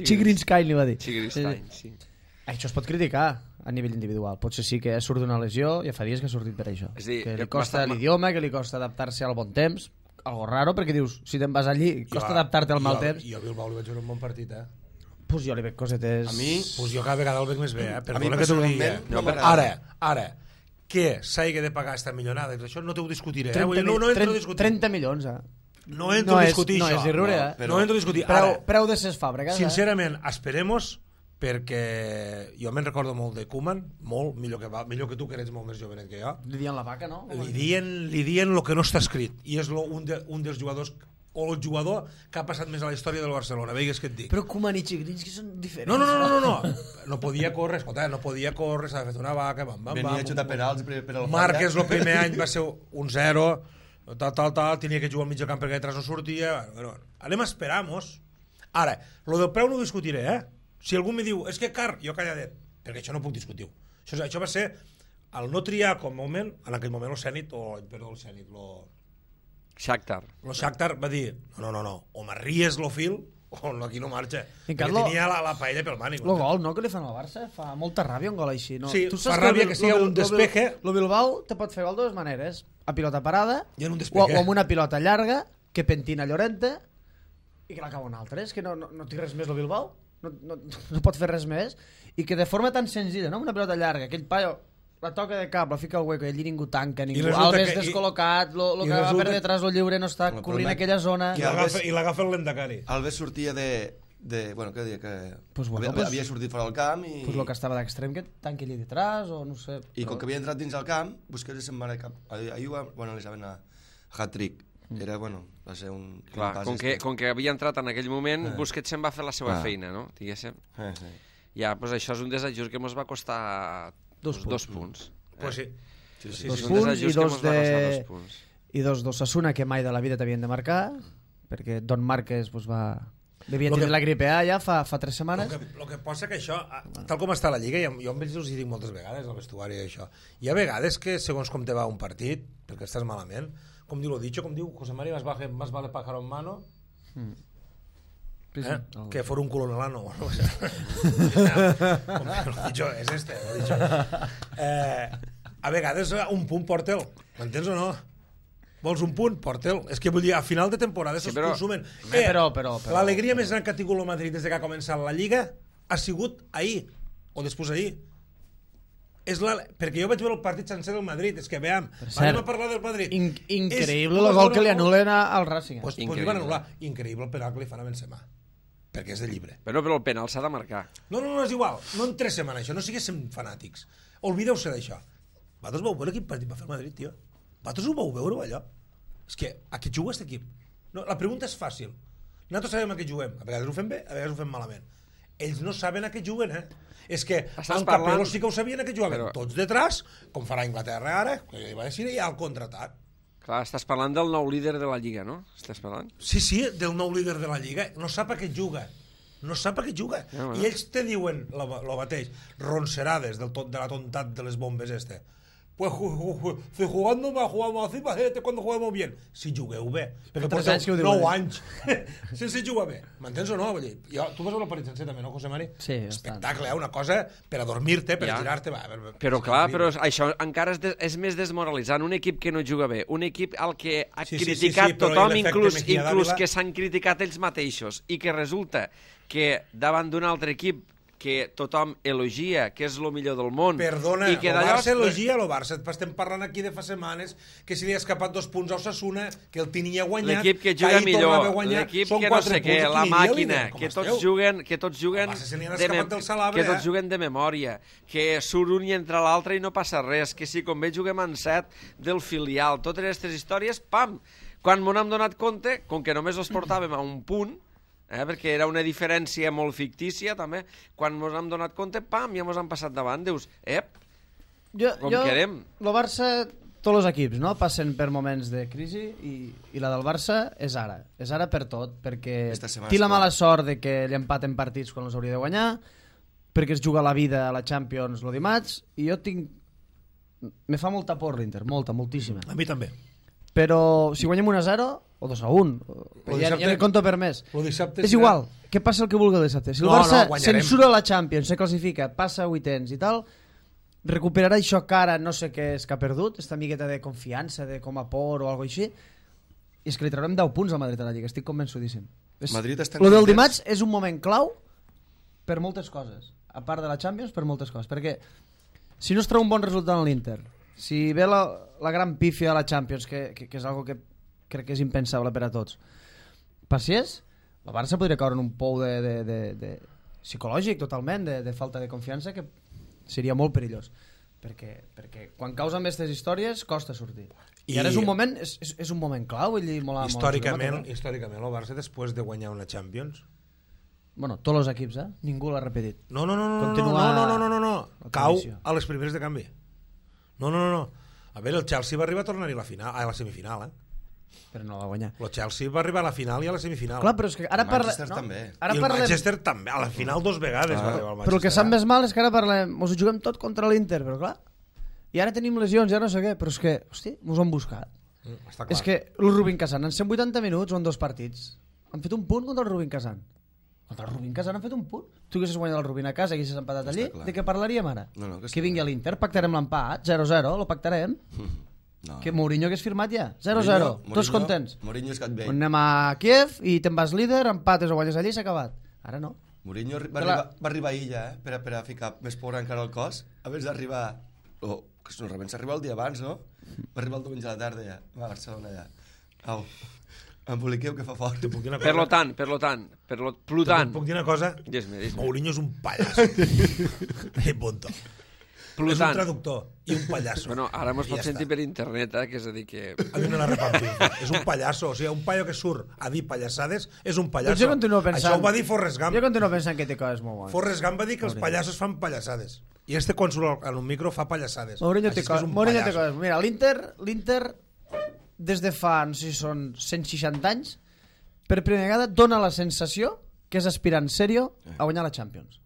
Chigrinstein li va dir. Chigristein, sí. Això es pot criticar a nivell individual. Potser sí que surt d'una lesió, ja fa dies que ha sortit per això. És a dir, que que li costa m'està- l'idioma, que li costa adaptar-se al bon temps, algo raro, perquè dius, si te'n vas allí, costa adaptar-te al mal temps. Jo a Bilbao li vaig veure un bon partit, eh? Pues jo li veig cosetes... A mi... Pues jo cada vegada el veig més bé, eh? A mi Perdona que t'ho digui. personalment no eh? m'agrada. Ara, ara, que s'hagi de pagar esta millonada, això no t'ho discutiré, eh? Vull dir, No, no entro a discutir. trenta milions, eh? No entro no a és, discutir no això. és irriure, No, eh? però- No entro a discutir. Preu, Ara, preu de ses fàbriques, eh? sincerament, esperemos, perquè jo me'n recordo molt de Koeman, molt, millor que, va, millor que tu, que eres molt més jovenet que jo. Li diuen la vaca, no? Li dien, li dien lo que no està escrit, i és lo, un, de, un dels jugadors o el jugador que ha passat més a la història del Barcelona, veigues què et dic. Però Koeman i Chigrinski són diferents. No, no, no, no, no, no. No podia córrer, escolta, no podia córrer, s'ha fet una vaca, bam, bam, Venia bam. a xutar penals per, per al Márquez el primer any va ser un zero, tal, tal, tal, tenia que jugar al mig del camp perquè detrás no sortia. Bueno, anem a esperar-nos. Ara, lo del preu no ho discutiré, eh? Si algú me diu, és que car, jo calladet, perquè això no puc discutir. Això, això va ser el no triar com a moment, en aquell moment el Zenit, o, perdó, el Zenit, lo, Shakhtar. lo Shakhtar va dir, no, no, no, no, o m'arries lo fil, o no, aquí no marxa. I Perquè Carlo- tenia la, la paella pel mànic. El gol, no?, que li fan al Barça, fa molta ràbia un gol així, no? Sí, Tu fa saps ràbia el que Bil- siga lo un Bil- lo Bil- despeje. Lo Bilbao te pot fer gol de dues maneres, a pilota parada I en un o, despeje. o amb una pilota llarga que pentina Llorente i que l'acaba un altre. És que no, no, no té res més el Bilbao, no, no, no pot fer res més, i que de forma tan senzilla, no?, una pilota llarga, aquell paio la toca de cap, la fica al hueco i allí ningú tanca, ningú, resulta Alves que- i- descol·locat, lo, lo i que va resulta- per detrás el lliure no està El cobrint problema- aquella zona. I que l'agafa- I l'agafa el Lendakari. Alves sortia de... de bueno, què deia? Que Pues bueno, havia, pues- havia sortit fora del camp i... Pues lo que estava d'extrem que tanqui allí detrás, o no sé. I com que havia entrat dins el camp, Busquets se'n va anar cap... Ahir, ahir va, bueno, li saben a hat-trick. Era, bueno, va ser un... Clar, un pas com que, este. com que havia entrat en aquell moment, Eh. Busquets se'n va fer la seva Ah. feina, no? Diguéssim. Eh, sí. Ja, doncs això és un desajust que ens va costar Dos dos, dos punts. Pues sí. Sí, sí, Dos És sí. un punts desajust i que dos mos va costar de- dos punts. I dos d'Osasuna que mai de la vida t'havien de marcar, perquè Don Márquez pues, va... devia Lo tenir que- la gripe A ja fa, fa tres El setmanes. que, lo que passa que això, tal com està la Lliga, jo, jo amb ells us hi dic moltes vegades, al vestuari i això, hi ha vegades que segons com te va un partit, perquè estàs malament, com diu lo dicho, com diu José María, más vale, más vale pájaro en mano, Sí, sí. ¿eh? El- que for un culo en el ano. O sea, com lo dicho es este, lo dicho. Eh, a vegades un punt porta'l, m'entens o no? Vols un punt? Porta'l. És que vull dir, a final de temporada Sí, se'ls però- consumen. Home, però- però- però- L'alegria més gran que ha tingut el Madrid des que ha començat la Lliga ha sigut ahir, o després ahir. És la... Perquè jo vaig veure el partit sencer del Madrid, és que veam, cert, anem a parlar del Madrid. In increïble És- el gol que li anulen a- al Racing. Pues, pues li Increïble. van anul·lar. Increïble el penal que li fan a Benzema, perquè és de llibre. Però, però el penal s'ha de marcar. No, no, no, és igual. No interessem en això, no siguéssim fanàtics. Oblideu-se d'això. Vosaltres vau veure quin partit va fer el Madrid, tio? Vosaltres ho vau veure, allò? És que a què juga aquest equip? No, la pregunta és fàcil. Nosaltres sabem a què juguem. A vegades ho fem bé, a vegades ho fem malament. Ells no saben a què juguen, eh? És que Estàs en parlant- Capello sí que ho sabien a què jugaven. Però- Tots detrás, com farà Inglaterra ara, que va decidir ja el contraatac. Clar, estàs parlant del nou líder de la Lliga, no? Estàs parlant? Sí, sí, del nou líder de la Lliga. No sap a què juga. No sap a què juga. Ja, bueno. I ells te diuen el mateix, roncerades del tot, de la tontat de les bombes este. Pues ju, ju, ju, si jugando mal, jugamos así, imagínate cuando juguemos bien. Si jugueu bé. Perquè tres porteu anys que ho diuen, nou eh? anys sense jugar bé. M'entens o no? Vull dir, jo, tu vas veure el partit sencer també, no, José Mari? Sí, bastant. Espectacle, eh? Una cosa per a dormir-te, per Ja. a tirar-te. Va, per, per, Però és clar, però increïble. això encara és, de, és més desmoralitzant. Un equip que no juga bé, un equip al que ha Sí, sí, sí, criticat sí, però tothom, l'efecte inclús, Mejía inclús Dávila- que s'han criticat ells mateixos, i que resulta que davant d'un altre equip que tothom elogia, que és el millor del món, Perdona, i que el d'allò... Barça elogia el Barça. Estem parlant aquí de fa setmanes que si li ha escapat dos punts a Osasuna, que el tenia guanyat, L'equip que que juga ahir tornava a millor, guanyar, l'equip són que no quatre sé què, punts, la qui aniria màquina, líder? Com que tots esteu? juguen, que tots juguen, El Barça se n'hi ha de, escapat mem- del Salabre, que tots eh? juguen de memòria, que surt un i entra l'altre i no passa res, que si com bé juguem en set del filial, totes aquestes històries, pam! Quan m'ho hem donat compte, com que només els portàvem a un punt, eh, perquè era una diferència molt fictícia també, quan ens hem donat compte, pam, ja ens han passat davant, dius, ep, Jo, com jo, querem. el Barça, tots els equips, no?, passen per moments de crisi i, i la del Barça és ara. És ara per tot, perquè Esta setmana té la és clar. mala sort de que li empaten partits quan els hauria de guanyar, perquè es juga la vida a la Champions el dimarts, i jo tinc... Me fa molta por l'Inter, molta, moltíssima. A mi també. Però si guanyem un a zero o dos a un, Lo ja, dissabte- ja no compto per més. Lo dissabte És serà- igual, què passa el que vulgui el dissabte. Si el No, Barça no, guanyarem. censura la Champions, se classifica, passa a vuitens i tal, recuperarà això que ara no sé què és que ha perdut, esta amigueta de confiança, de com a por o alguna així, i és que li traurem deu punts al Madrid a la Lliga, estic convençudíssim. Madrid està Lo del dimarts és un moment clau per moltes coses, a part de la Champions, per moltes coses, perquè si no es treu un bon resultat en l'Inter, si ve la, la gran pífia a la Champions, que, que, que és algo que crec que és impensable per a tots, passés, el Barça podria caure en un pou de, de, de, de psicològic totalment, de, de falta de confiança, que seria molt perillós. Perquè, perquè quan causen aquestes històries costa sortir. I, I ara és un moment és, és, és un moment clau, vull dir, molt, històricament, molt històricament el Barça després de guanyar una Champions, bueno, tots els equips, eh? Ningú l'ha repetit. no, no, no, no, Continua no, no, no, no, no, la cau tradició. a les primeres de canvi. No, no, no, no. A veure, el Chelsea va arribar a tornar-hi a la final, a la semifinal, eh? Però no la va guanyar. El Chelsea va arribar a la final i a la semifinal. Clar, però és que ara El parlem... Manchester també. Ara I el parlem... Manchester també, a la final dos vegades va arribar el Manchester. Però el que sap més mal és que ara parlem... Mos ho juguem tot contra l'Inter, però clar... I ara tenim lesions, ja no sé què, però és que, hosti, mos ho han buscat. Mm, està clar. És que el Rubin Kazan, en cent vuitanta minuts o en dos partits, han fet un punt contra el Rubin Kazan. Contra el Rubin Kazan han fet un punt. Tu haguessis guanyat el Rubin a casa, haguessis empatat allí, de què parlaríem ara? No, no, que que vingui a l'Inter, pactarem l'empat, zero zero, lo pactarem. No. Que Mourinho hagués firmat ja, zero zero, tots contents. Mourinho és gat vell. Anem a Kiev i te'n vas líder, empates o guanyes allí i s'ha acabat. Ara no. Mourinho va, la... arribar, va arribar a Illa, eh? Per a, per a ficar més por encara al cos, abans d'arribar... Oh, que normalment s'arriba el dia abans, no? Va arribar el diumenge a la tarda ja, a Barcelona ja. Au, emboliqueu que fa fort. Puc dir una Per cosa? lo tant, per lo tant, per lo plutant. Puc dir una cosa? Dis-me, dis-me. Mourinho és un pallasso. I punto. És un Plutant. traductor i un pallasso. Bueno, ara mos I pot ja sentir està. per internet, eh, que és a dir que... A mi me la repartim. És un pallasso. O sigui, un paio que surt a dir pallassades és un pallasso. Doncs jo continuo pensant... Això ho va dir Forrest Gump. Jo continuo pensant que té coses molt bones. Forrest Gump va dir que els Mourinho. pallassos fan pallassades. I este quan surt en un micro fa pallassades. Mourinho Així té és que és coses. un Mourinho té pallasso. coses. Mira, l'Inter, l'Inter des de fa, no sé si són cent seixanta anys, per primera vegada dona la sensació que és aspirant sèrio a guanyar la Champions.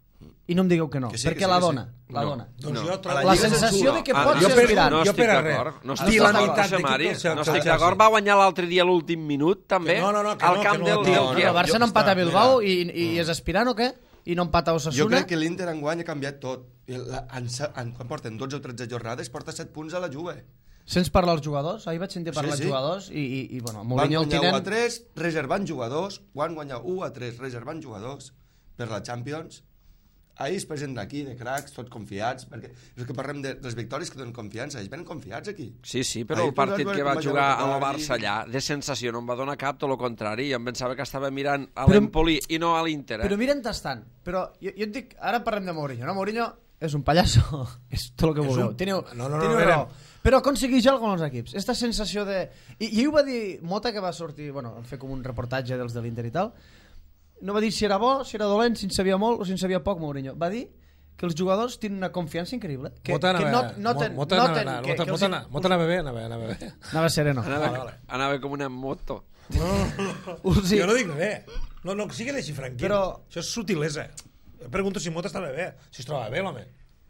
I no em digueu que no, Que sí, perquè que sí, la que sí. dona. La No. dona. Doncs No. jo trobo... La Lliga sensació censura. de que Ah, pot jo ser per- aspirant. No jo estic per a res. d'acord. No Dir estic la d'acord, meitat José d'equip Mari. del Chelsea. No estic d'acord. Va guanyar l'altre dia l'últim minut, també, Que no, no, no, que al no, camp que no, del, tio. del No, Kiev. el Barça no jo- empata a mira. Bilbao i, i és aspirant o què? I no empata a Jo Osasuna. crec que l'Inter enguany ha canviat tot. I la, en, en, quan porten dotze o tretze jornades, porta set punts a la Juve. Sents parlar als jugadors? Ahir vaig sentir parlar als Sí, sí. jugadors i, i, i bueno, Van Mourinho el guanyar u a tinent... tres, reservant jugadors. Van guanyar u a tres, reservant jugadors per la Champions. Ahir es presenten aquí, de cracs, tots confiats, perquè és que parlem de les victòries que donen confiança. Ells venen confiats aquí. Sí, sí, però Ahir el partit posats que com va va jugar jugar amb el el Barça Barça allà, de sensació, no em va donar cap, tot el contrari. Jo em pensava que estava mirant a Però- l'Empoli i no a l'Inter. Eh? Però miren tastant. Però jo, jo et dic, ara parlem de Mourinho, no? Mourinho és un pallasso, és tot el que És vulgueu. un- Teniu, No, no, no, teniu a veure. raó. Però aconsegueix alguna cosa als equips. Esta sensació de... I, I ho va dir Mota, que va sortir, bueno, vam fer com un reportatge dels de l'Inter i tal. No va dir si era bo, si era dolent, si en sabia molt o si en sabia poc, Mourinho. Va dir que els jugadors tenen una confiança increïble. Que, Mota que anava- no, noten, Mota noten anava- que, Mota- que els- Mota anava- Mota anava bé, anava, anava bé. Anava sereno. Anava, Vale, vale. anava com una moto. No, no, no. Uh, sí. Jo no dic res. No, no, que sigui així tranquil. Però- Això és sutilesa. Jo pregunto si Mota estava bé, si es troba bé, l'home.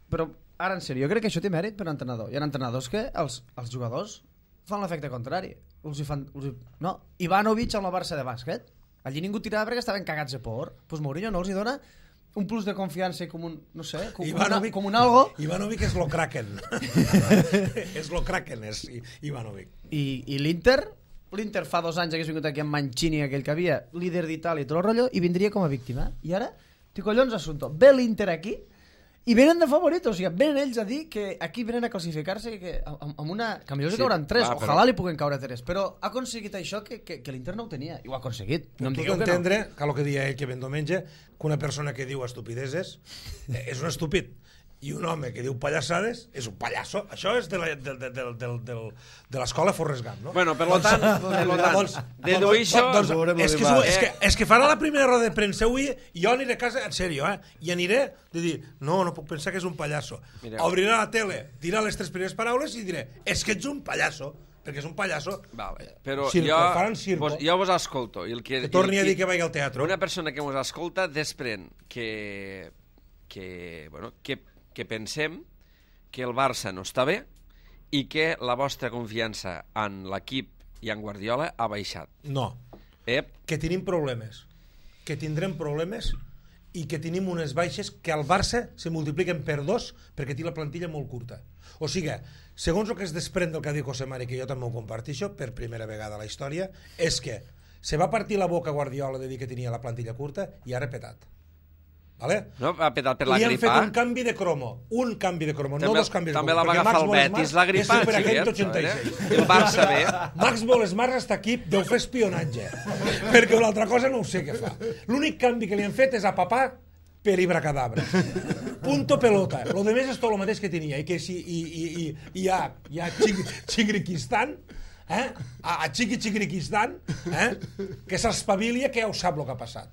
Però ara, en sèrio, jo crec que això té mèrit per l'entrenador. Hi ha entrenadors que els, els jugadors fan l'efecte contrari. Els hi fan, els hi... No, Ivanovic amb la Barça de bàsquet. Allí ningú tirava perquè estaven cagats de por. Doncs pues Mourinho no els hi dona un plus de confiança i com un, no sé, com, Ivanovic, una, com un algo. Ivanovic és lo Kraken. és lo Kraken, és I- Ivanovic. I, i l'Inter, l'Inter fa dos anys hagués vingut aquí amb Mancini, aquell que havia, líder d'Itàlia i tot el rotllo, i vindria com a víctima. I ara, té collons assumpto. Ve l'Inter aquí i venen de favoritos, o sigui, venen ells a dir que aquí venen a classificar-se que, amb, amb una... que millor Sí, sí, cauran tres, clar, però- ojalà li puguen caure tres, però ha aconseguit això que, que, que l'Inter no ho tenia, i ho ha aconseguit. No em tu digueu que no. d'entendre que el que dia ell que ven diumenge, que una persona que diu estupideses eh, és un estúpid, i un home que diu pallassades és un pallasso. Això és de la- de, de, de, de, de, de l'escola Forrest Gump, no? Bueno, per lo tant, per lo tant, Doncs- deduir això... doncs, veurem és, que, l'Olivar. és, que, és que farà la primera roda de premsa avui i jo aniré a casa, en sèrio, eh? I aniré de dir, no, no puc pensar que és un pallasso. Mireu. Obrirà la tele, dirà les tres primeres paraules i diré, és que ets un pallasso, perquè és un pallasso. Vale, però Circo, jo, faran circo. vos, jo vos escolto. I el que, Que torni i el a dir que vagi al teatre. Una persona que mos escolta desprèn que, que, bueno, que, que pensem que el Barça no està bé i que la vostra confiança en l'equip i en Guardiola ha baixat. No, Ep, que tenim problemes, que tindrem problemes i que tenim unes baixes que al Barça se multipliquen per dos perquè té la plantilla molt curta. O sigui, segons el que es desprèn del que ha dit José Mari, que jo també ho comparteixo per primera vegada a la història, és que se va partir la boca Guardiola de dir que tenia la plantilla curta i ha repetat. Vale? No, ha petat per la Li han gripa. fet un canvi de cromo, un canvi de cromo, També- no dos canvis de també cromo. la va perquè agafar Max el Bollesmar Betis, la gripa, és superagent Xavier, d'oitanta i eh? seis. El Barça bé. Max Bollesmar està aquí, deu fer espionatge, perquè una altra cosa no ho sé què fa. L'únic canvi que li han fet és a papà per Ibracadabra. Punto pelota. Lo de més és tot el mateix que tenia. I que si i, i, i, i hi ha, hi ha Chigriquistan, eh? a, a Chiqui Chigriquistan, eh? que s'espavili, que ja ho sap el que ha passat.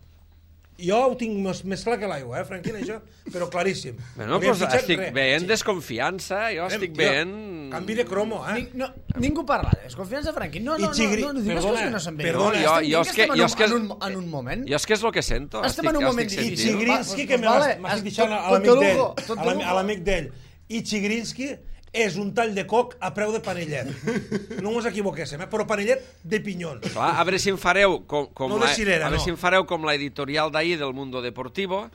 Jo ho tinc més, més clar que l'aigua, eh, Franquina, això, però claríssim. Bueno, Li han pues fitxat estic res. veient desconfiança, jo estic Tio, veient... Canvi de cromo, eh? Ni, no, ningú parla de desconfiança, Franqui. No, I no, no, Chigri- no, no, digues perdona, que no se'n ve. perdona, jo- Estem jo dient és que- estem jo en és que un- és- en un, en un moment. Jo és que és el que sento. Estem estic, en un jo moment estic I difícil. sentint. Chigrinsky, Va, que pues me vale, m'has has- dit a tot- l'amic tot de d'ell, lujo, tot de a l'ami- lujo. a l'amic d'ell. I Chigrinsky és un tall de coc a preu de panellet. No us equivoquéssim, eh? Però panellet de pinyons. Clar, a veure si em fareu com, com No de la, cirera, a veure no. si em fareu com la editorial d'ahir del Mundo Deportivo,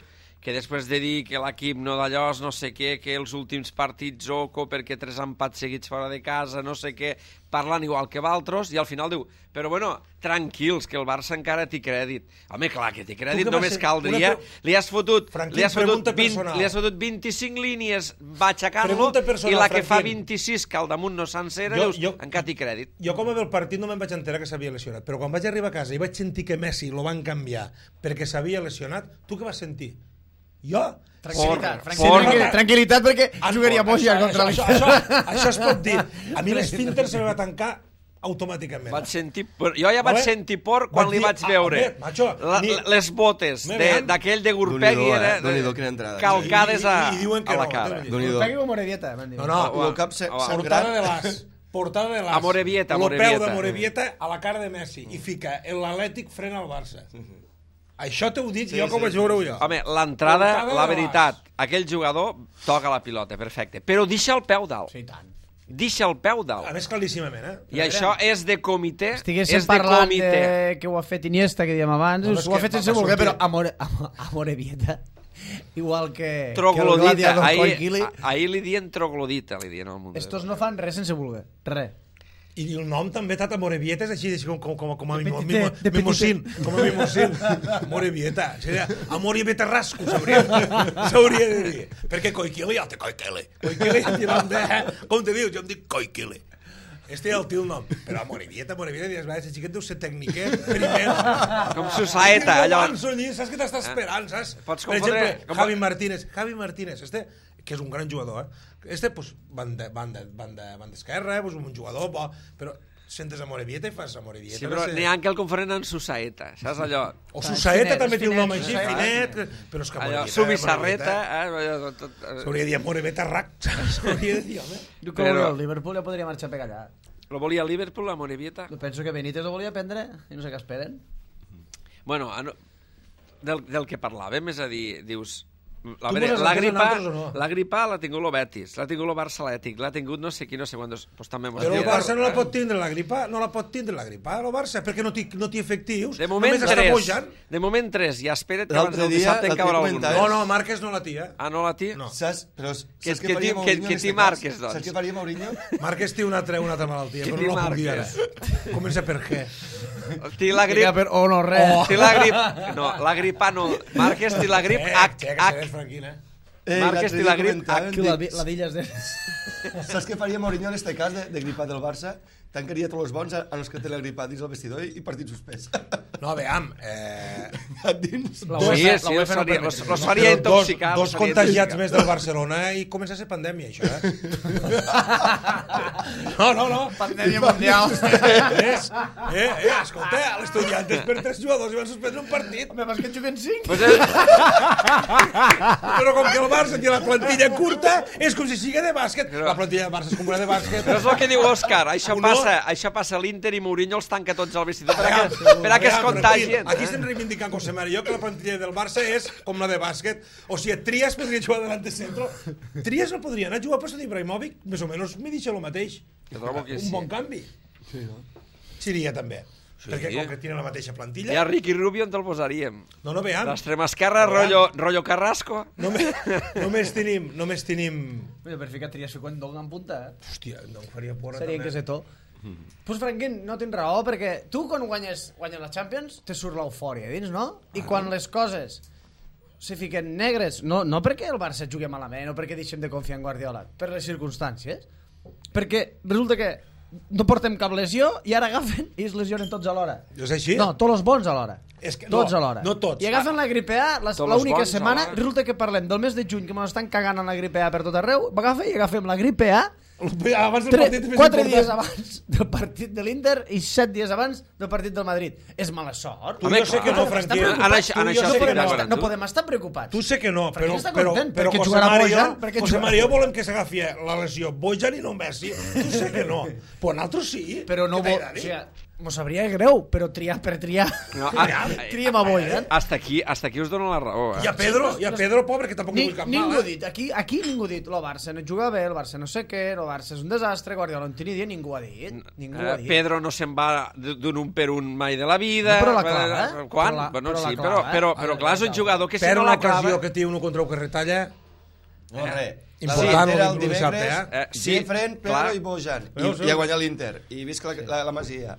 que després de dir que l'equip no d'allò, no sé què, que els últims partits Zoco perquè tres empats seguits fora de casa, no sé què, parlant igual que valtros, i al final diu, però bueno, tranquils, que el Barça encara té crèdit. Home, clar, que té crèdit, Tu què vas només ser? caldria... Una Li has fotut, Franquín, li has fotut, pregunta vint, personal. li has fotut vint-i-cinc línies, va aixecar-lo, Pregunta personal, i la que fa Franquín. vint-i-sis, que al damunt no s'encera, Jo- dius, jo- encara té crèdit. Jo com a veure el partit no me'n vaig enterar que s'havia lesionat, però quan vaig arribar a casa i vaig sentir que Messi lo van canviar perquè s'havia lesionat, tu què vas sentir? Jo? Tranquil·litat, Por- tranquil·litat, por- tranquil·litat, perquè Ah, jugaria això- Moja això, contra això, l'Inter. això, això es pot dir. A mi l'esfínter se me va tancar automàticament. Vaig sentir por. Jo ja vaig Vale? sentir por quan Vaig li dir, vaig ah, veure home, macho, la, ni- les botes Me de- vean. d'aquell de Gurpegui Déu-n'hi-do, era eh? Déu-n'hi-do, quina entrada. calcades a, I- i- i diuen que a la no, cara. Déu-n'hi-do. Déu-n'hi-do. Pegui o Morevieta, m'han dit. No, no, Home, El cap se- home. sangrat. portada de l'as. Portada de l'as. A Morevieta, a El peu Morevieta. de Morevieta a la cara de Messi. I fica, l'Atlètic frena el Barça. Això t'ho dic Sí, jo com sí, vaig veure-ho sí, jo. Home, l'entrada, Portada la de veritat, aquell jugador toca la pilota, perfecte, però deixa el peu dalt. Sí, i tant. Deixa el peu A dalt. més, claríssimament, eh? I això és de comitè, Estiguéssim és de parlant comitè. de que ho ha fet Iniesta, que dèiem abans, No, no, és ho ha que fet va- sense va voler, sortir. però a, More, a, a Morevieta, igual que, que el Troglodita. gladiador Ahir, Coiquili, a- ahir li dien troglodita, li dien al mundo. estos no fan res sense voler, res. I el nom també, Tata Morevieta, és així, així com, com, com, com a De mimo, petite, mimo, de mimosín, com a mimosín. Morevieta. Seria a Morevieta Rasco, s'hauria s'hauria de dir. Perquè Coiquili, ja té Coiquili. Coiquili, tirant de... Com te dius? Jo em dic Coiquili. Este és el teu nom. Però a Morevieta, Morevieta, dius, va, ese xiquet deu ser tècniquet, primer. Com Susaeta, allò. Allò... Saps què t'està esperant, saps? Pots Per confondre- exemple, com- Javi Martínez. Javi Martínez, este, que és un gran jugador, eh? Este, pues, van de, van de, van de, van d'esquerra, pues, un jugador bo, però sentes a Morevieta i fas a Morevieta. Sí, però n'hi ha que el confonen en Susaeta, saps allò? O Susaeta Finet, també té un finet, nom així, Susaeta. finet, però és que Allò, Morevieta... Subissarreta, Morevieta, eh? allò, tot, eh? S'hauria de dir Morevieta Rac, s'hauria de dir, home. Jo que Però- però... el Liverpool ja podria marxar per allà. Lo volia el Liverpool, la Morevieta? Jo penso que Benítez ho volia prendre i no sé què esperen. Bueno, a no- del, del que parlàvem, és a dir, dius... A Tu veure, voles la entendre gripa, nosaltres o no? la gripa l'ha tingut el Betis, l'ha tingut el Barça Atlètic, l'ha tingut no sé qui, no sé quantos... Pues també mos Però el diuen. Barça no la pot tindre la gripa, no la pot tindre la gripa, el Barça, perquè no té, no té efectius, De moment només està tres, pujant. de moment tres, i espera't que abans L'altre del dia dissabte en el caurà que algun. comentava- No, no, Márquez no la tia. Ah, no la tia? No. Saps? Però saps Que- què que faria ti- Mourinho que- en que ti este marques, cas? doncs. Saps què faria Mourinho? Márquez té una altra, una altra malaltia, Qui però no la puc dir ara. Marquez? Comença per què? Té la Grip... grip... Per... O no, res. Té la grip... No, la gripa no. Márquez té la grip Eh, H. xeca, H. seràs franquina. Eh, Márquez l'altre té la dia grip comentàvem, Que la, dic, la d'illes de... Saps què faria Mourinho en este cas de, de gripat del Barça? Tancaria tots els bons a, a los que té la gripa dins el vestidor i, i partit suspès. No, veam, eh... A dins. La Sí, UEFA, sí, la los UEFA no faria, permet. los, los faria Però intoxicar. Dos, los dos faria contagiats intoxicar. més del Barcelona i comença a ser pandèmia, això, eh? No, no, no. Pandèmia mundial. És, eh, eh, escolta, l'estudiantes per tres jugadors i van suspendre un partit. Home, vas que en juguen cinc. Pues és, Però com que el Barça té la plantilla curta, és com si sigui de bàsquet. Però- La plantilla del Barça és com una de bàsquet. però és el que diu Òscar. Això Uno- passa, això passa a l'Inter i Mourinho els tanca tots al vestidor per a Veam, que, per a que es veam, contagien. Aquí, aquí eh? estem reivindicant José Mario que la plantilla del Barça és com la de bàsquet. O sigui, Trias podria jugar davant de centro. Trias no podria anar a jugar a posto d'Ibrahimovic, més o menys me deixa el mateix. Jo trobo que Un sí. bon canvi. Seria també. Sí. Perquè com que tenen la mateixa plantilla... I a Ricky Rubio on te'l posaríem? No, no, veiem. L'extrema esquerra, rotllo, rotllo Carrasco. Només, només tenim... Només tenim... Mira, per ficar Trias quan Donga en punta, eh? Hòstia, no em faria porra Seria també. que sé to. Mm. Pues Franquín, no tens raó, perquè tu quan guanyes, guanyes la Champions te surt l'eufòria dins, no? I quan les coses se fiquen negres, no, no perquè el Barça jugui malament, no perquè deixem de confiar en Guardiola, per les circumstàncies, perquè resulta que no portem cap lesió i ara agafen i es lesionen tots alhora. És així? No, tots els bons alhora. És que, tots no, alhora. no tots. I agafen la gripe A, l'única setmana, alhora. Resulta que parlem del mes de juny, que m'estan cagant en la gripe A per tot arreu, agafa i agafem la gripe A abans del Tre partit més quatre important. dies abans del partit de l'Inter i set dies abans del partit del Madrid. És mala sort. Tu, jo sé que no, Franquí. En això, en això no, estic podem d'acord estar, amb no tu. podem estar preocupats. Tu sé que no, però, però, content, però perquè José jugarà Mario, Bojan, perquè José jugarà- Mario volem que s'agafi la lesió Bojan i no Messi. Tu sé que no. Però nosaltres sí. Però no Què vol... t'agrada? O sigui, mos sabria greu, però triar per triar. No, a, Triem a Bojan. hasta aquí, hasta aquí us dono la raó. Eh? I a Pedro, i a Pedro, pobre, que tampoc Ni, li vull cap ningú mal. ha dit, aquí, aquí ningú ha dit, el Barça no juga bé, el Barça no sé què, el Barça és un desastre, Guardiola no té ni idea, ningú ha dit. Ningú Eh, ha dit. Pedro no se'n va d'un un per un mai de la vida. No, però la clava, eh? Quan? Però la- bueno, però la sí, clava, però, eh? però, A però veure, clar, és la un clava. jugador que si Però no la l'ocasió clava... que té uno contra el que retalla... No, res. Important, era el el dissabte, dimecres, eh? Eh, sí, Jeffren, Pedro clar. i Bojan. I, Veus, i veus? a guanyar l'Inter. I visca la, la, la Masia.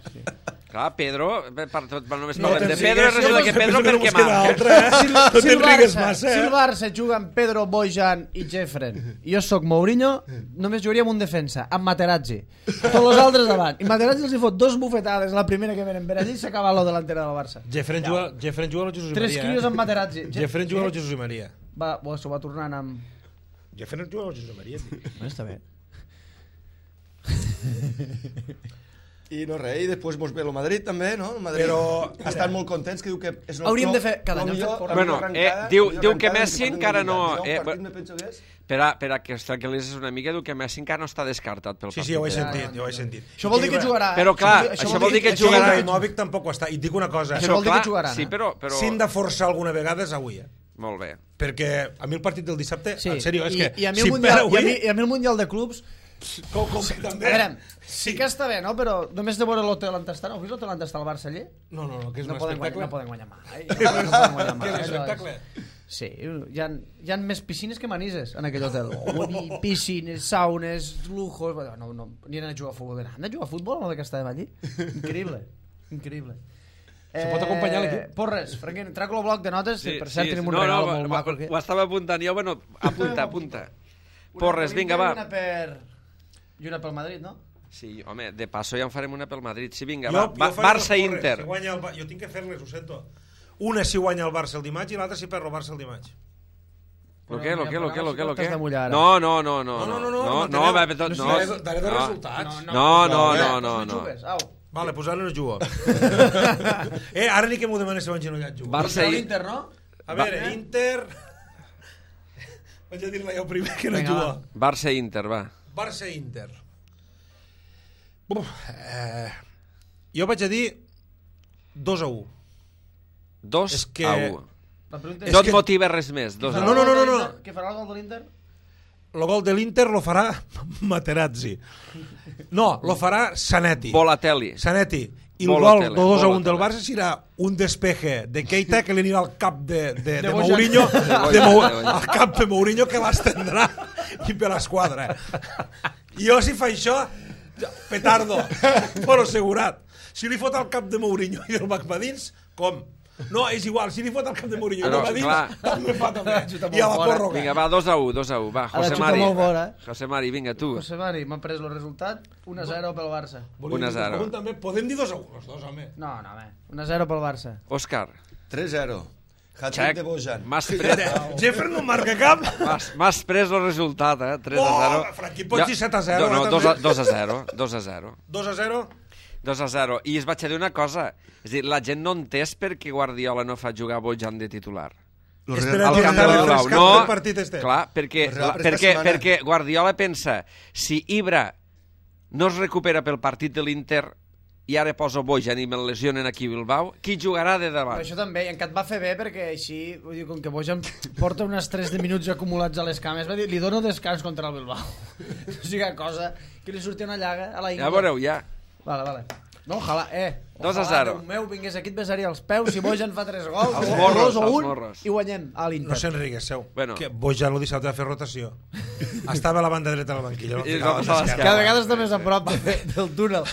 Clar, Pedro, bé, per tot, només No parlem de te'n Pedro, sigues, resulta que jo Pedro penso que no perquè mos queda marca. altre, eh? Si, No si, el t'enrigues Barça, massa, si el eh? Barça juga amb Pedro, Bojan i Jeffren i jo sóc Mourinho, només jugaríem un defensa, amb Materazzi. Tots els altres davant. I Materazzi els hi fot dos bufetades la primera que venen per allí i s'acaba lo delantera del Barça. Jeffren juga, Jeffren juga a Jesús i Tres Maria. crios Eh? amb Materazzi. Jeffren juga a Jesús i Maria. Va, bo, s'ho va tornant amb... Jeffren juga a Jesús i Maria. tio. No, està bé. I no res, i després mos ve el Madrid també, no? El Madrid Però- estan molt contents, que diu que és el Hauríem clou- de fer- cada la any millor- hem fet- la Bueno, millor eh, arrencada- diu- la millor diu que arrencada Messi que porten encara del no- Mundial. eh, El partit bueno. me penso que és... Per a, per a que es tranquil·litzis una mica, diu que Messi encara no està descartat pel Sí, partit. sí, ja ho he de- sentit, ja ho he sentit. Això vol dir que jugarà. Però clar, Això això vol vol dir que Això jugarà... el Ibrahimovic tampoc ho està. I et dic una cosa, Això vol dir que clar, jugaran, Sí, eh? però... però... si hem de forçar alguna vegada és avui, eh? Molt bé. Perquè a mi el partit del dissabte, Sí. en sèrio, és I, que i a mi si el em mundial, perd i a mi, avui... i a mi el Mundial de Clubs, Com, com que a també... veure, sí que està bé, no? Però només de veure l'hotel on està, heu vist l'hotel on està el Barça allí? No, no, no, que és No un poden, guanyar, espectacle. no poden guanyar mai. No poden guanyar mai. Que és un allò espectacle. Sí, hi ha, hi ha més piscines que manises en aquell hotel. Oh, piscines, saunes, lujos... No, no, ni anar a jugar a futbol. Han de jugar a futbol o de que estàvem allí? Increïble, increïble. Se pot acompanyar l'equip? Porres, Franquín, traco el bloc de notes, sí, per cert, sí, tenim un no, regal no, molt ho- maco aquí. Ho estava apuntant jo, bueno, apunta, apunta. Una Porres, per vinga, l'Inter va. I una per... I una pel Madrid, no? Sí, home, de passo ja en farem una pel Madrid. Sí, vinga, Jo, va. jo va faré les Barça-Inter. porres. Si guanya el, Ba- jo tinc que fer-les, ho sento. Una si guanya el Barça el dimarts i l'altra si perd el Barça el dimarts. Lo que, lo que, lo que, lo que, lo que? T'has de mullar, ara. No, no, no, no. No, no, no, no, no, manteneu. no, va, tot, No, no. daré- daré dos no. resultats. No, no, Eh, no, doncs no, no. jugues, au. Vale, pues ara no jugo. eh, ara ni que m'ho demanes si vaig enollat jugo. Barça Contra i... l'Inter, no? A veure, Inter... Vaig a dir-la jo primer que no Vinga, jugo. va. Barça-Inter, va. Barça-Inter. Uf, eh, jo vaig a dir dos a u. Dos És que- a u. La pregunta És No et que- motiva res més. Dos a No, u. no, no, no, no. Què farà el gol de l'Inter? El gol de l'Inter lo farà Materazzi. No, lo farà Zanetti. Bolatelli. Zanetti. I el Bola gol tele, de dos a bola un del tele. Barça serà un despeje de Keita que li anirà al cap de, de, de, De de Mourinho, Bojan. de Mou, De Bojan. al cap de Mourinho que l'estendrà i per l'esquadra. I jo si fa això, petardo, però assegurat. Si li fot al cap de Mourinho i el va dins, com? No, és igual, si li fot al cap de Mourinho i Però, el va dins, clar. també fa també. Xuta I a la molt fora. pròrroga. Vinga, va, dos a u, dos a u. Va, Ara José xuta Mari. molt fora, eh? José Mari, vinga, tu. José Mari, m'ha pres el resultat, un a zero pel Barça. Volíem un a dir que zero. pregunten També, podem dir dos a un, els dos, home. No, no, bé. un a zero pel Barça. Òscar. tres a zero. Hat-trick Xec, de Bojan. m'has pres, Jeffrey no marca cap. m'has- m'has pres el resultat, eh? tres a zero. Oh, Franqui, pots dir set a zero, No, eh, no, dos a, també? dos a zero. dos a zero. dos a zero. dos a zero. I es vaig a dir una cosa. És a dir, la gent no entès per què Guardiola no fa jugar Bojan de titular. Los Espera, Real- Al que camp està de Bilbao. refrescat No, el partit este. clar, perquè, Los Real la, per esta perquè, setmana. perquè Guardiola pensa, si Ibra no es recupera pel partit de l'Inter i ara poso Bojan i me'l lesionen aquí a Bilbao, qui jugarà de Però davant? això també, i encat va fer bé perquè així, vull dir, com que Bojan porta unes tres de minuts acumulats a les cames, va dir, li dono descans contra el Bilbao. O sigui, cosa que li surti una llaga a la Ja Ingla. veureu, ja. Vale, vale. No, ojalà, eh. dos a Ojalà, zero. Déu meu, vingués aquí, et besaria els peus, si Bojan fa tres gols, Els o morros, dos o els un, morros. i guanyem a l'Inter. No s'enriguesseu. Bueno. Que Bojan el dissabte va fer rotació. Estava a la banda dreta del banquillo. I es va passar a l'esquerra. Cada vegada està més a prop de, del túnel.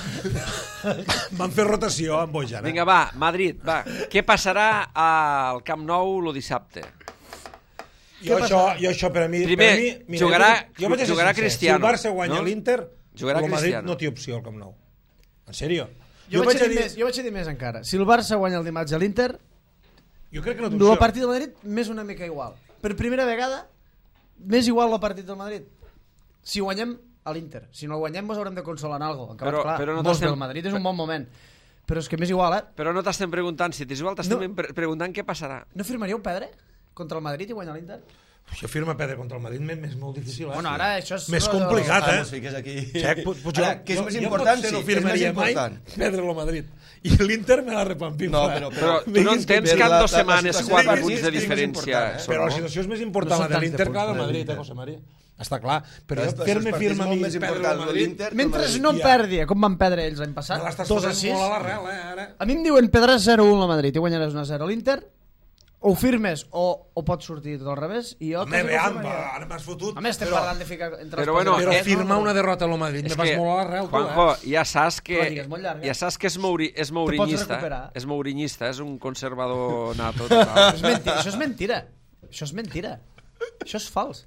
Van fer rotació amb Bojan. Eh? Vinga, va, Madrid, va. Què passarà al Camp Nou el dissabte? Jo això, jo això per a mi... Primer, per a mi, mira, jugarà- jo, jo vaig a ser jugarà sincer. Cristiano, Si el Barça guanya no? l'Inter, Jugarà el Madrid Cristiano. no té opció al Camp Nou. En sèrio? Jo, vaig a dir més, jo vaig a dir més encara. Si el Barça guanya el dimarts a l'Inter, Jo crec que no té el opció. partit del Madrid més una mica igual. Per primera vegada, més igual el partit del Madrid. Si guanyem a l'Inter. Si no el guanyem, ens haurem de consolar en alguna cosa. Però- clar, però no molts t'estem- del Madrid és un bon moment. Però és que més igual, eh? Però no t'estem preguntant si t'és igual, t'estem No. pre preguntant què passarà. No firmaríeu Pedre contra el Madrid i guanyar l'Inter? Això firma Pedro contra el Madrid m'és més molt difícil. Eh? Bueno, ara això és... Més complicat, Ah, eh? no fiques aquí. Xec, pot, pot, Ara, què és més important? Jo potser no Sí, què és més firmaria mai important? perdre el Madrid. I l'Inter me la repampinfa. No, però- Però tu no Vinguis entens que- que en la- dues la- la setmanes situació quatre és- punts de és més diferència important, eh? Però la són, no? situació és més No important, són la de tants l'Inter de que la de punts, Madrid, eh, eh, José María? Està clar. Però La jo situació fer-me dels partits firma a molt mi més perdre el important, Madrid... l'Inter que el Mentre Madrid. no Ja. perdi, com van perdre ells l'any passat, Me l'estàs dos a posant sis. molt a l'arrel, eh, ara. A mi em diuen Pedràs zero a un al Madrid i guanyaràs una zero a l'Inter, o ho firmes o, o pots sortir tot al revés, i jo... Home, quasi que ho veam, firmaria. ara m'has fotut. A més, estem però, parlant de ficar entre Però els bueno, partits. però eh, firmar una derrota a Madrid me És vas que, molt a l'arrel, tu, Juanjo, eh? ja saps que, La lliga és molt llarga. ja saps que és, mauri, és pots maurinyista. recuperar. És maurinyista, és un conservador nato. Total. És mentira, això és mentira. Això és mentira. Això és fals.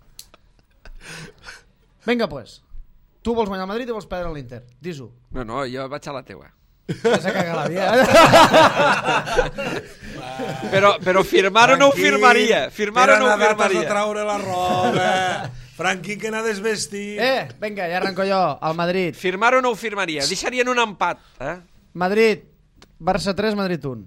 Vinga, pues. Tu vols guanyar el Madrid i vols perdre l'Inter. Dis-ho. No, no, jo vaig a la teua. Ja s'ha cagat la via. Però, però firmar-ho no ho Franquín, firmaria. Firmar-ho no ho per anar dates de firmaria. traure la roba. Franquín, que n'ha desvestit. Eh, vinga, ja arrenco jo. El Madrid. Firmar-ho no ho firmaria. Deixarien un empat. Eh? Madrid. Barça tres, Madrid un.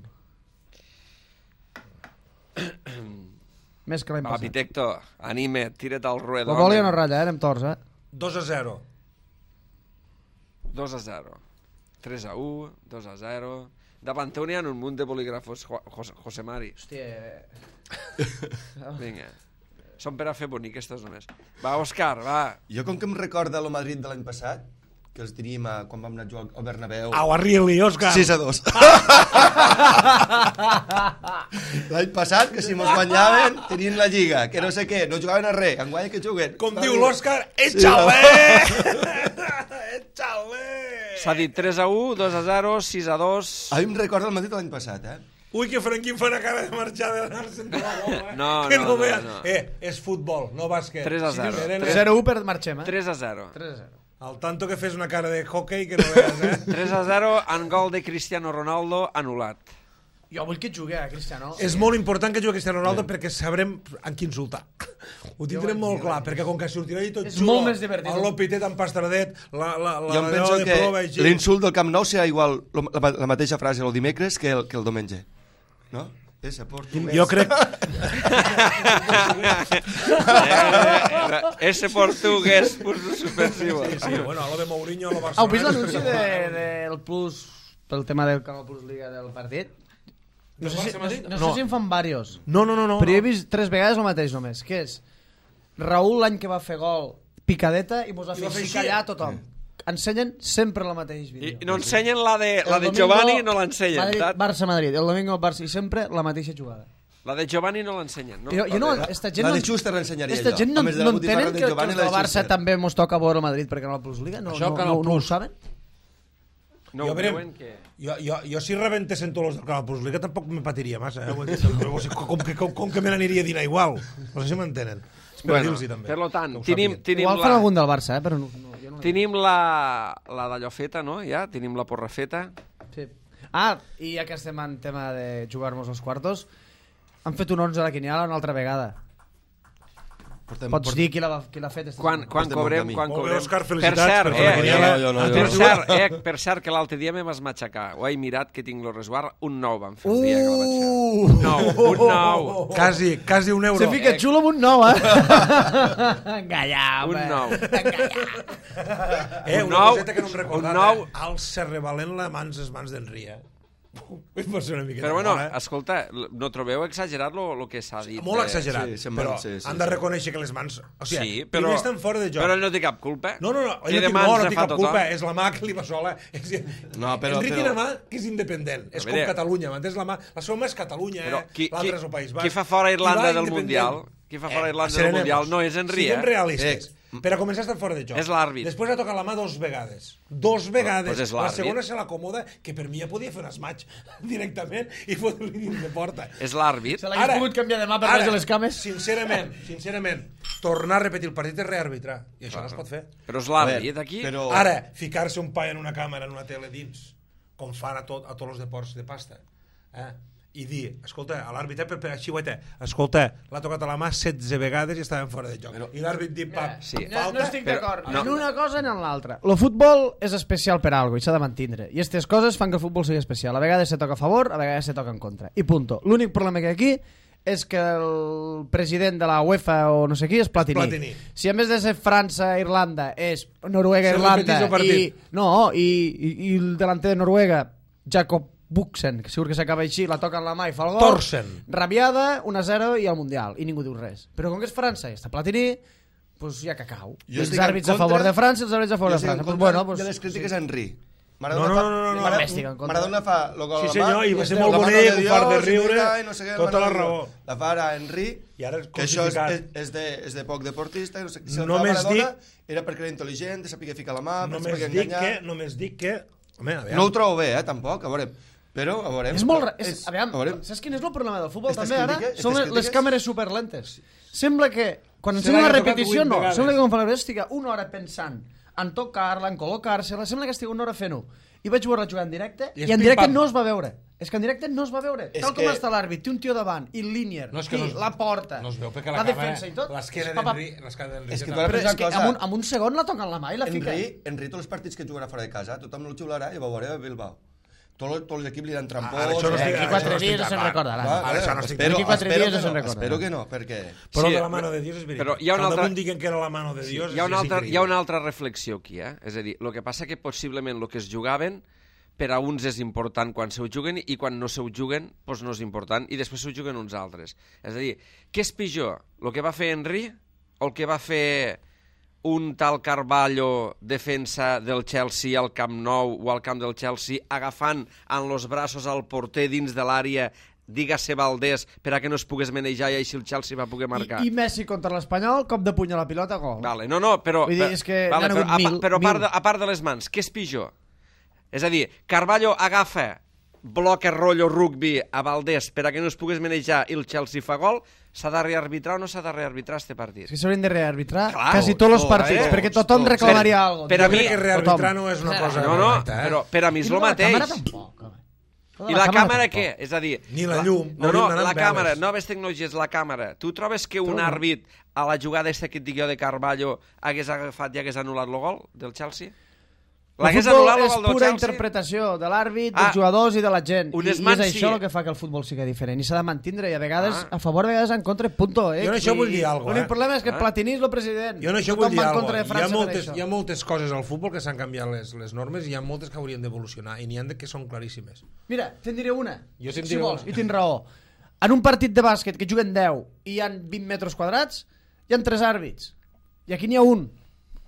Més que l'any Va, passat. Pitecto, anime, tira't al ruedo. La bola ja home. no ratlla, eh? Anem torts, eh? dos a zero. dos a zero. tres a u, dos a zero. Davant teu n'hi ha un munt de bolígrafos, Jo- José, José Mari. Hòstia... Vinga. Són per a fer bonic, aquestes només. Va, Òscar, va. Jo, com que em recorda el Madrid de l'any passat, que els teníem a, quan vam anar a jugar al Bernabéu... Au, arri-li, Òscar. sis a dos. L'any passat, que si mos guanyaven, tenien la Lliga, que no sé què, no jugaven a res, enguany que juguen. Com diu l'Òscar, échale! Échale! S'ha dit tres a u, dos a zero, sis a dos... A mi em recorda el Madrid de l'any passat, eh? Ui, que Franquín fa una cara de marxar de l'anar-se'n de la bola, eh? No, que no, no, no, veas. no. Eh, és futbol, no bàsquet. tres a zero. Serena, zero a u per marxem, eh? tres a zero. tres a zero. Al tanto que fes una cara de hockey que no veas, eh? tres a zero, en gol de Cristiano Ronaldo, anul·lat. Jo vull que et jugui, eh, Cristiano. És molt important que jugui Cristiano Ronaldo perquè sabrem en qui insultar. Ho tindrem molt clar, perquè com que sortirà i tot És xulo, molt més divertit. el Lopitet amb pastradet, la, la, la, Jo em la penso de que prova així. l'insult del Camp Nou serà igual lo- la, la mateixa frase el dimecres que el, que el diumenge. No? Ese portuguès. Jo crec... Eh, ese portugués puso suspensivo. Sí, sí, bueno, lo de Mourinho a lo Heu vist Barcelona... l'anunci del de, del Plus, pel tema del Canal Plus Liga del partit? No sé, si, no, no, No. sé si en fan varios, No, no, no, no. però jo he vist tres vegades el mateix només, que és Raúl l'any que va fer gol, picadeta, i mos va I fer va fer així així. callar a tothom. Ensenyen sempre el mateix I, vídeo. I no ensenyen la de, la El de domingo, Giovanni, no l'ensenyen. Madrid, saps? Barça-Madrid, el domingo el Barça, i sempre la mateixa jugada. La de Giovanni no l'ensenyen, no? Jo, jo no, esta gent La no, de Schuster l'ensenyaria esta jo. gent no, A més de la no botifarra entenen de que, que Giovanni, els la del de Barça Schuster. també mos toca veure el Madrid per Canal Plus Liga. No, Això, no, Canal no, no ho Plus. saben? No jo, ho verem, veuen que... jo, jo, jo si rebentessin tots els del Canal Plus Liga tampoc me patiria massa, eh? Vull dir, però, o sigui, com, que, com, com que me n'aniria a dinar igual. No sé si m'entenen. Espero Bueno, dir-los també. per lo tant, que ho tenim, sàpiguen. tenim, Igual fan la, algun del Barça, eh? Però no, no, jo no tenim la, la d'allò feta, no? Ja, tenim la porra feta. Sí. Ah, i ja que estem en tema de jugar-nos els quartos, han fet un onze a la quiniala una altra vegada. Portem, Pots dir qui l'ha qui l'ha fet? esta Quan, setmana? quan Estem bon cobrem, camí. quan Molt bé, cobrem. Òscar, Per felicitats cert, per eh, la quiniela. eh, No, jo no, jo per no. cert, eh, per cert, que l'altre dia me vas matxacar. Ho he mirat que tinc lo resguard. Un nou vam fer el dia que la vaig fer. Uh! Un nou, un nou. Quasi, quasi un euro. Se fica xulo amb un nou, eh? Engallà, Un home. nou. Eh, un una nou, coseta que no em recordava. un nou. Eh? El Serrevalent la mans les mans d'Enri, eh? Pot ser una miqueta Però bueno, molt, eh? escolta, no trobeu exagerat lo que s'ha dit? Molt de- exagerat, sí, se'n però van, sí, sí, han de sí. reconèixer que les mans... O sigui, Sí, primer però, estan fora de joc. però ell no té cap culpa. No, no, no, Té jo de no, mans no, no de tinc fa cap tothom. culpa, és la mà que li va sola. És, No, però- Enric però- té una mà que és independent, és A com veure. Catalunya, m'entens? La, mà, la seva mà és Catalunya, Però eh? qui, qui, l'altre és el País Basc. qui fa fora I Irlanda va del independent. Mundial? Qui fa fora Eh, Irlanda del serenemos. Mundial no és Henry, Siguem eh? realistes. Eh, Per a començar estan fora de joc. És l'àrbit. Després ha tocat la mà dos vegades. Dos vegades. Doncs és la l'àrbit. segona se l'acomoda, que per mi ja podia fer un smaig directament i fotre-li dins de porta. És l'àrbit. Se l'hagués pogut canviar de mà per ara, res de les cames. Sincerament, sincerament, tornar a repetir el partit és rearbitrar. I això no es pot fer. Però és A l'àrbit, veure, aquí. però- Ara, ficar-se un paio en una càmera, en una tele dins, com fan a, tot, a tots els deports de pasta, eh? I dir, escolta, a l'àrbit, eh, per, per xiueta, escolta, l'ha tocat a la mà setze vegades i estaven fora de joc. Però- I l'àrbit dit, pap, Sí. No, no estic però- d'acord, no. ni en una cosa ni en l'altra. El futbol és especial per algo i s'ha de mantindre. I aquestes coses fan que el futbol sigui especial. A vegades se toca a favor, a vegades se toca en contra. I punto. L'únic problema que hi ha aquí és que el president de la UEFA o no sé qui és Platini. Platini. Si en vez de ser França, Irlanda, és Noruega, Se Irlanda repetís el partit. i, no, i, i, i el delanter de Noruega, Jakob Buxen, que segur que s'acaba així, la toca en la mà i fa el gol. Torsen. Rabiada, un a zero i al Mundial. I ningú diu res. Però com que és França i està Platini, doncs hi ha cacau. Jo Els estic en àrbits a contra- favor de França i els àrbits a favor Jo de estic en França. Pues contra bueno, pues, de les crítiques sí. a Henry. No, no, no, no, no. També estic en contra. Maradona fa el gol a Sí, la senyor, mà, i va ser la molt mano bonic, de un Dios, fart de i riure, mira, i no sé què, tota mano la de Dios. raó. La fa ara Henry, I ara és que això és, crucificat. és, és, de, és de poc deportista, i no sé, si el fa Només Maradona dic- era perquè era intel·ligent, de saber ficar la mà, per Només saber dic enganyar... que, només dic que... Home, a veure, No ho trobo bé, eh, tampoc, a veure... Però, a veure... És molt... ra- És, és- aviam, a veure, saps quin és el problema del futbol Estes també ara? crítiques- Són estes les, les crítiques- càmeres superlentes. Sembla que quan Se ensenyen l'ha una tocat repetició, vuit no. vegades. Sembla que quan fan la repetició estigui una hora pensant en tocar-la, en col·locar-se-la. Sembla que estigui una hora fent-ho. I vaig veure-la jugar en directe I i, és en directe pim-pam. no es va veure. És que en directe no es va veure. És Tal com que- està l'àrbit, té un tio davant i el línier, No, és que i no es- la porta, no es veu perquè la, la càmera, defensa i tot. l'esquena és pa, pa- d'Henry... l'esquena d'Henry És que està- tu ara Però és pensa que cosa. amb un, amb un segon la toca en la mà i la fica. Henry, Henry, tots els partits que jugarà fora de casa, tothom el xiularà i va veure a Bilbao. Tots tots els equips li dan trampons... Ara, això no Eh, estic- D'aquí ara, quatre això no dies estic no se'n d'acord. recordarà. Va, Ara, això no estic espero, D'aquí quatre espero dies no que se'n no, recordarà. espero que no, perquè... Però Sí, de la mano de Dios és veritat. però hi ha una que al altra- damunt diguen que era la mano de Dios Hi ha, una és altra, increïble. hi ha una altra reflexió aquí, eh? És a dir, el que passa que possiblement el que es jugaven per a uns és important quan se ho juguen i quan no se ho juguen doncs no és important i després se ho juguen uns altres. És a dir, què és pitjor? El que va fer Henry o el que va fer un tal Carvalho, defensa del Chelsea al Camp Nou o al camp del Chelsea, agafant en los braços al porter dins de l'àrea, dígase Valdés, per a que no es pogués manejar i així el Chelsea va poder marcar. I, I Messi contra l'Espanyol, cop de puny a la pilota, gol. Vale, no, no, però... Vull dir, per- és que vale, n'han però, hagut a, mil, però a, part mil. de, a part de les mans, què és pitjor? És a dir, Carvalho agafa bloque rotllo rugby a Valdés per a que no es pogués manejar i el Chelsea fa gol, s'ha de rearbitrar o no s'ha de rearbitrar este partit? És que s'haurien de rearbitrar Clar, quasi tots els tots, partits, eh? perquè tothom Tots. reclamaria Per- alguna cosa. per a Jo mi- crec que rearbitrar tothom. no és una Eh, cosa No, no, correcta, eh? però per a mi és I el lo de la mateix. càmera tampoc, home. Lo de I la càmera tampoc. què? És a dir... Ni la llum, No, hauríem no, d'anar la amb càmera, veles. noves tecnologies, la càmera. Tu trobes que un Tu no. àrbit a la jugada esta que et dic jo de Carvalho hagués agafat i hagués anul·lat el gol del Chelsea? El L'hagués futbol anul·lat el és gol del pura Chelsea? interpretació de l'àrbit, Ah, dels jugadors i de la gent. un I, I és esman això sí. el que fa que el futbol sigui diferent. I s'ha de mantindre, i a vegades Ah. a favor, a vegades en contra, punto. Eh? Jo en això I vull dir alguna cosa, L'únic eh? problema és que Ah. Platini és el president. Jo en això Tothom vull dir va en alguna contra de cosa. Hi ha, França per moltes, això. hi ha moltes coses al futbol que s'han canviat les, les normes i hi ha moltes que haurien d'evolucionar i n'hi ha de que són claríssimes. Mira, te'n diré una, Jo te'n si diré vols, una. i tens raó. En un partit de bàsquet que juguen deu i hi ha vint metres quadrats, hi ha tres àrbits. I aquí n'hi ha un.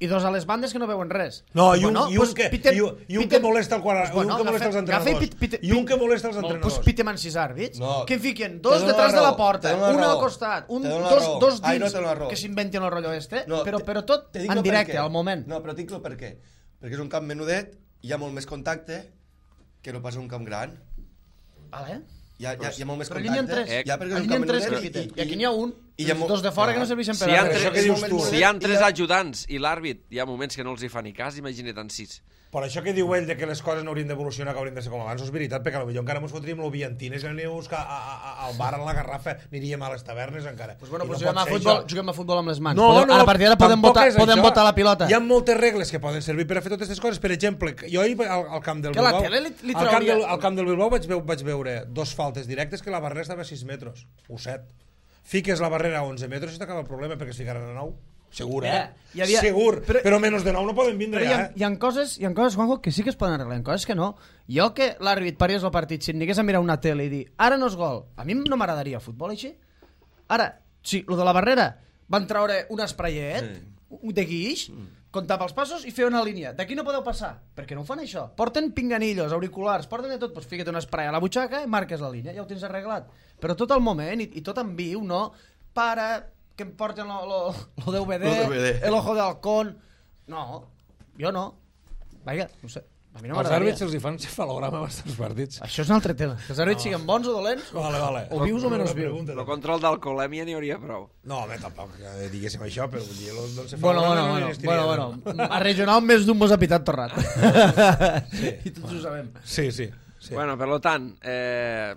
I dos a les bandes que no veuen res. No, i un, Bueno, i un, pues, que, Peter- i un, i un Peter- que molesta el quadre, Pues bueno, un que molesta agafa- els entrenadors. agafa i pit- pit- I un que molesta els Bueno, entrenadors. pues pitem en sis àrbits, No, que fiquen te dos dono detrás la de la raó, porta, te dono la un al raó, costat, un, te dono la dos, raó. dos Ai, no dins, te dono la raó. que s'inventen el rotllo este, No, però, te- però tot te dic en el directe, per què. al moment. No, però tinc el per què. Perquè és un camp menudet, hi ha molt més contacte que no pas un camp gran. Vale? Hi ha, hi ha, hi ha molt més Però allí n'hi ha contacte. tres. Hi ha perquè és Allí un n'hi ha camp tres menudet que i- quiten. i- I aquí n'hi ha un, i hi ha els mo- dos de fora que no Ah. serveixen Si per hi ha a tres, res. això que dius tu. si hi ha tres I la- ajudants i l'àrbit, hi ha moments que no els hi fa ni cas, imagina't en sis. Per això que diu ell de que les coses no haurien d'evolucionar, que haurien de ser com abans, no és veritat, perquè potser encara ens fotríem l'oviantines i aniríem a buscar a, a, a, al bar a la Garrafa, aniríem a les tavernes encara. Pues bueno, I pues no juguem, a pot ser futbol, això. juguem a futbol amb les mans. No, podem, no, a partir d'ara podem, tampoc votar, és podem això. votar la pilota. Hi ha moltes regles que poden servir per a fer totes aquestes coses. Per exemple, jo ahir al, al camp del Que la Bilbao... tele li- li al, camp trauria- del, al camp del Bilbao vaig, veu, vaig veure dos faltes directes que la barrera estava a sis metres, o set. Fiques la barrera a onze metres i t'acaba el problema perquè es ficaran a nou. Segur, eh? Eh, hi havia- Segur, però- però, menys de nou no poden vindre Però hi ha, ja, eh? hi, ha coses, hi ha coses, Juanjo, que sí que es poden arreglar, hi ha coses que no. Jo que l'àrbit parés el partit, si em digués a mirar una tele i dir ara no és gol, a mi no m'agradaria el futbol així. Ara, sí, lo de la barrera, van traure un espraiet sí. de guix, mm. comptava els passos i fer una línia. D'aquí no podeu passar, perquè no ho fan això. Porten pinganillos, auriculars, porten de tot, doncs fica't un esprai a la butxaca i marques la línia, ja ho tens arreglat. Però tot el moment i, i tot en viu, no? Para... que em porten lo, lo, lo D V D, Lo D V D. el ojo de halcón. No, jo no. Vaja, no sé. A mi no Els m'agradaria. àrbits se'ls hi fan cefalograma bastants partits. Això és un altre tema. Que els àrbits siguin bons o dolents, Vale, vale. o vius o menys vius. Pregunta. El control d'alcoholèmia n'hi hauria prou. No, home, tampoc eh, diguéssim això, però vull dir, el del Bueno, cefalograma bueno, no bueno, existiria. bueno, bueno. A regional més d'un mos ha pitat torrat. Sí. I tots ho sabem. Sí, sí. sí. Bueno, per lo tant, eh,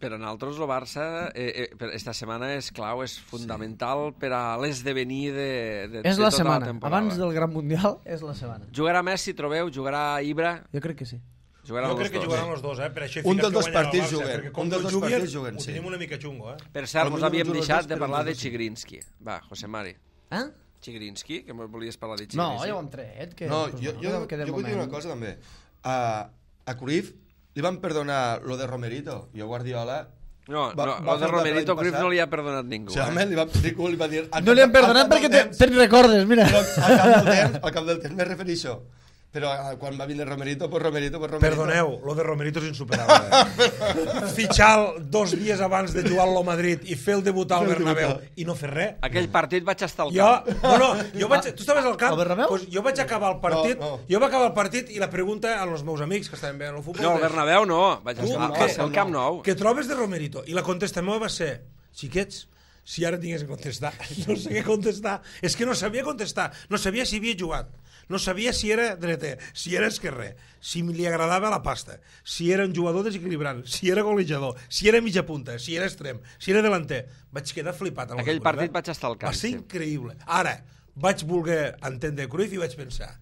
per a nosaltres el Barça eh, eh, per esta setmana és clau, és fundamental sí. per a l'esdevenir de, de, És de la tota setmana. la temporada. Abans del Gran Mundial és la setmana. Jugarà Messi, trobeu? Jugarà Ibra? Jo crec que sí. Jugaran Jo crec els que dos. jugaran els dos, eh? Per això he Un ficat dels que dos guanyarà el partits Barça, juguen. perquè com Un dels no dos juguen, partits juguen, ho sí. tenim una mica xungo, eh? Per cert, Potser mos no havíem juguen els deixat dos, de però parlar un de dels dos sí. Chigrinsky. Va, José Mari. Eh? Chigrinsky, que me volies parlar de No, Chigrinsky. ja ho hem tret. Que, No, pues, jo, no, jo, que de jo vull dir una moment- cosa també. A, a Cruyff li van perdonar lo de Romerito i a Guardiola... No, va- no, va el de fer Romerito l'any Cruyff passat. no li ha perdonat ningú. O sigui, Eh? li va, Rico li va dir... al No cap li han de- al perdonat cap perquè del te- temps- te'n recordes, mira. Però al cap del temps, al cap del temps me refereixo. Però eh, quan va vindre Romerito, pues Romerito, pues Romerito... Perdoneu, lo de Romerito és insuperable. Eh? Fitxar dos dies abans de jugar al Madrid i fer el debutar al Bernabéu i no fer res. Aquell partit vaig estar al Jo, camp. no, no, jo vaig, tu estaves al camp? Al Bernabéu? Pues jo vaig acabar el partit, No, no. jo vaig acabar el partit i la pregunta als meus amics que estaven veient el futbol No, al és, Bernabéu no, vaig Tu, estar què? al Camp Nou. què trobes de Romerito? I la contesta meva va ser, xiquets, si ara tingués que contestar, no sé què contestar, és que no sabia contestar, no sabia si havia jugat, no sabia si era dreter, si era esquerrer, si li agradava la pasta, si era un jugador desequilibrant, si era golejador, si era mitja punta, si era extrem, si era delanter. Vaig quedar flipat. amb el Aquell Cruyff, partit eh? vaig estar al camp, Va ser sí. increïble. Ara, vaig voler entendre Cruyff i vaig pensar,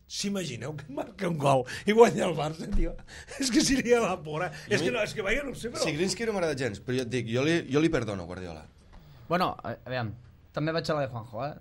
s'imagineu que marca un gol i guanya el Barça, tio? És que seria la pora. És que no, és que vaja, no ho sé, però... Sigrinsky no m'agrada gens, però jo et dic, jo li, jo li perdono, Guardiola. Bueno, a, a veure, també vaig a la de Juanjo, eh?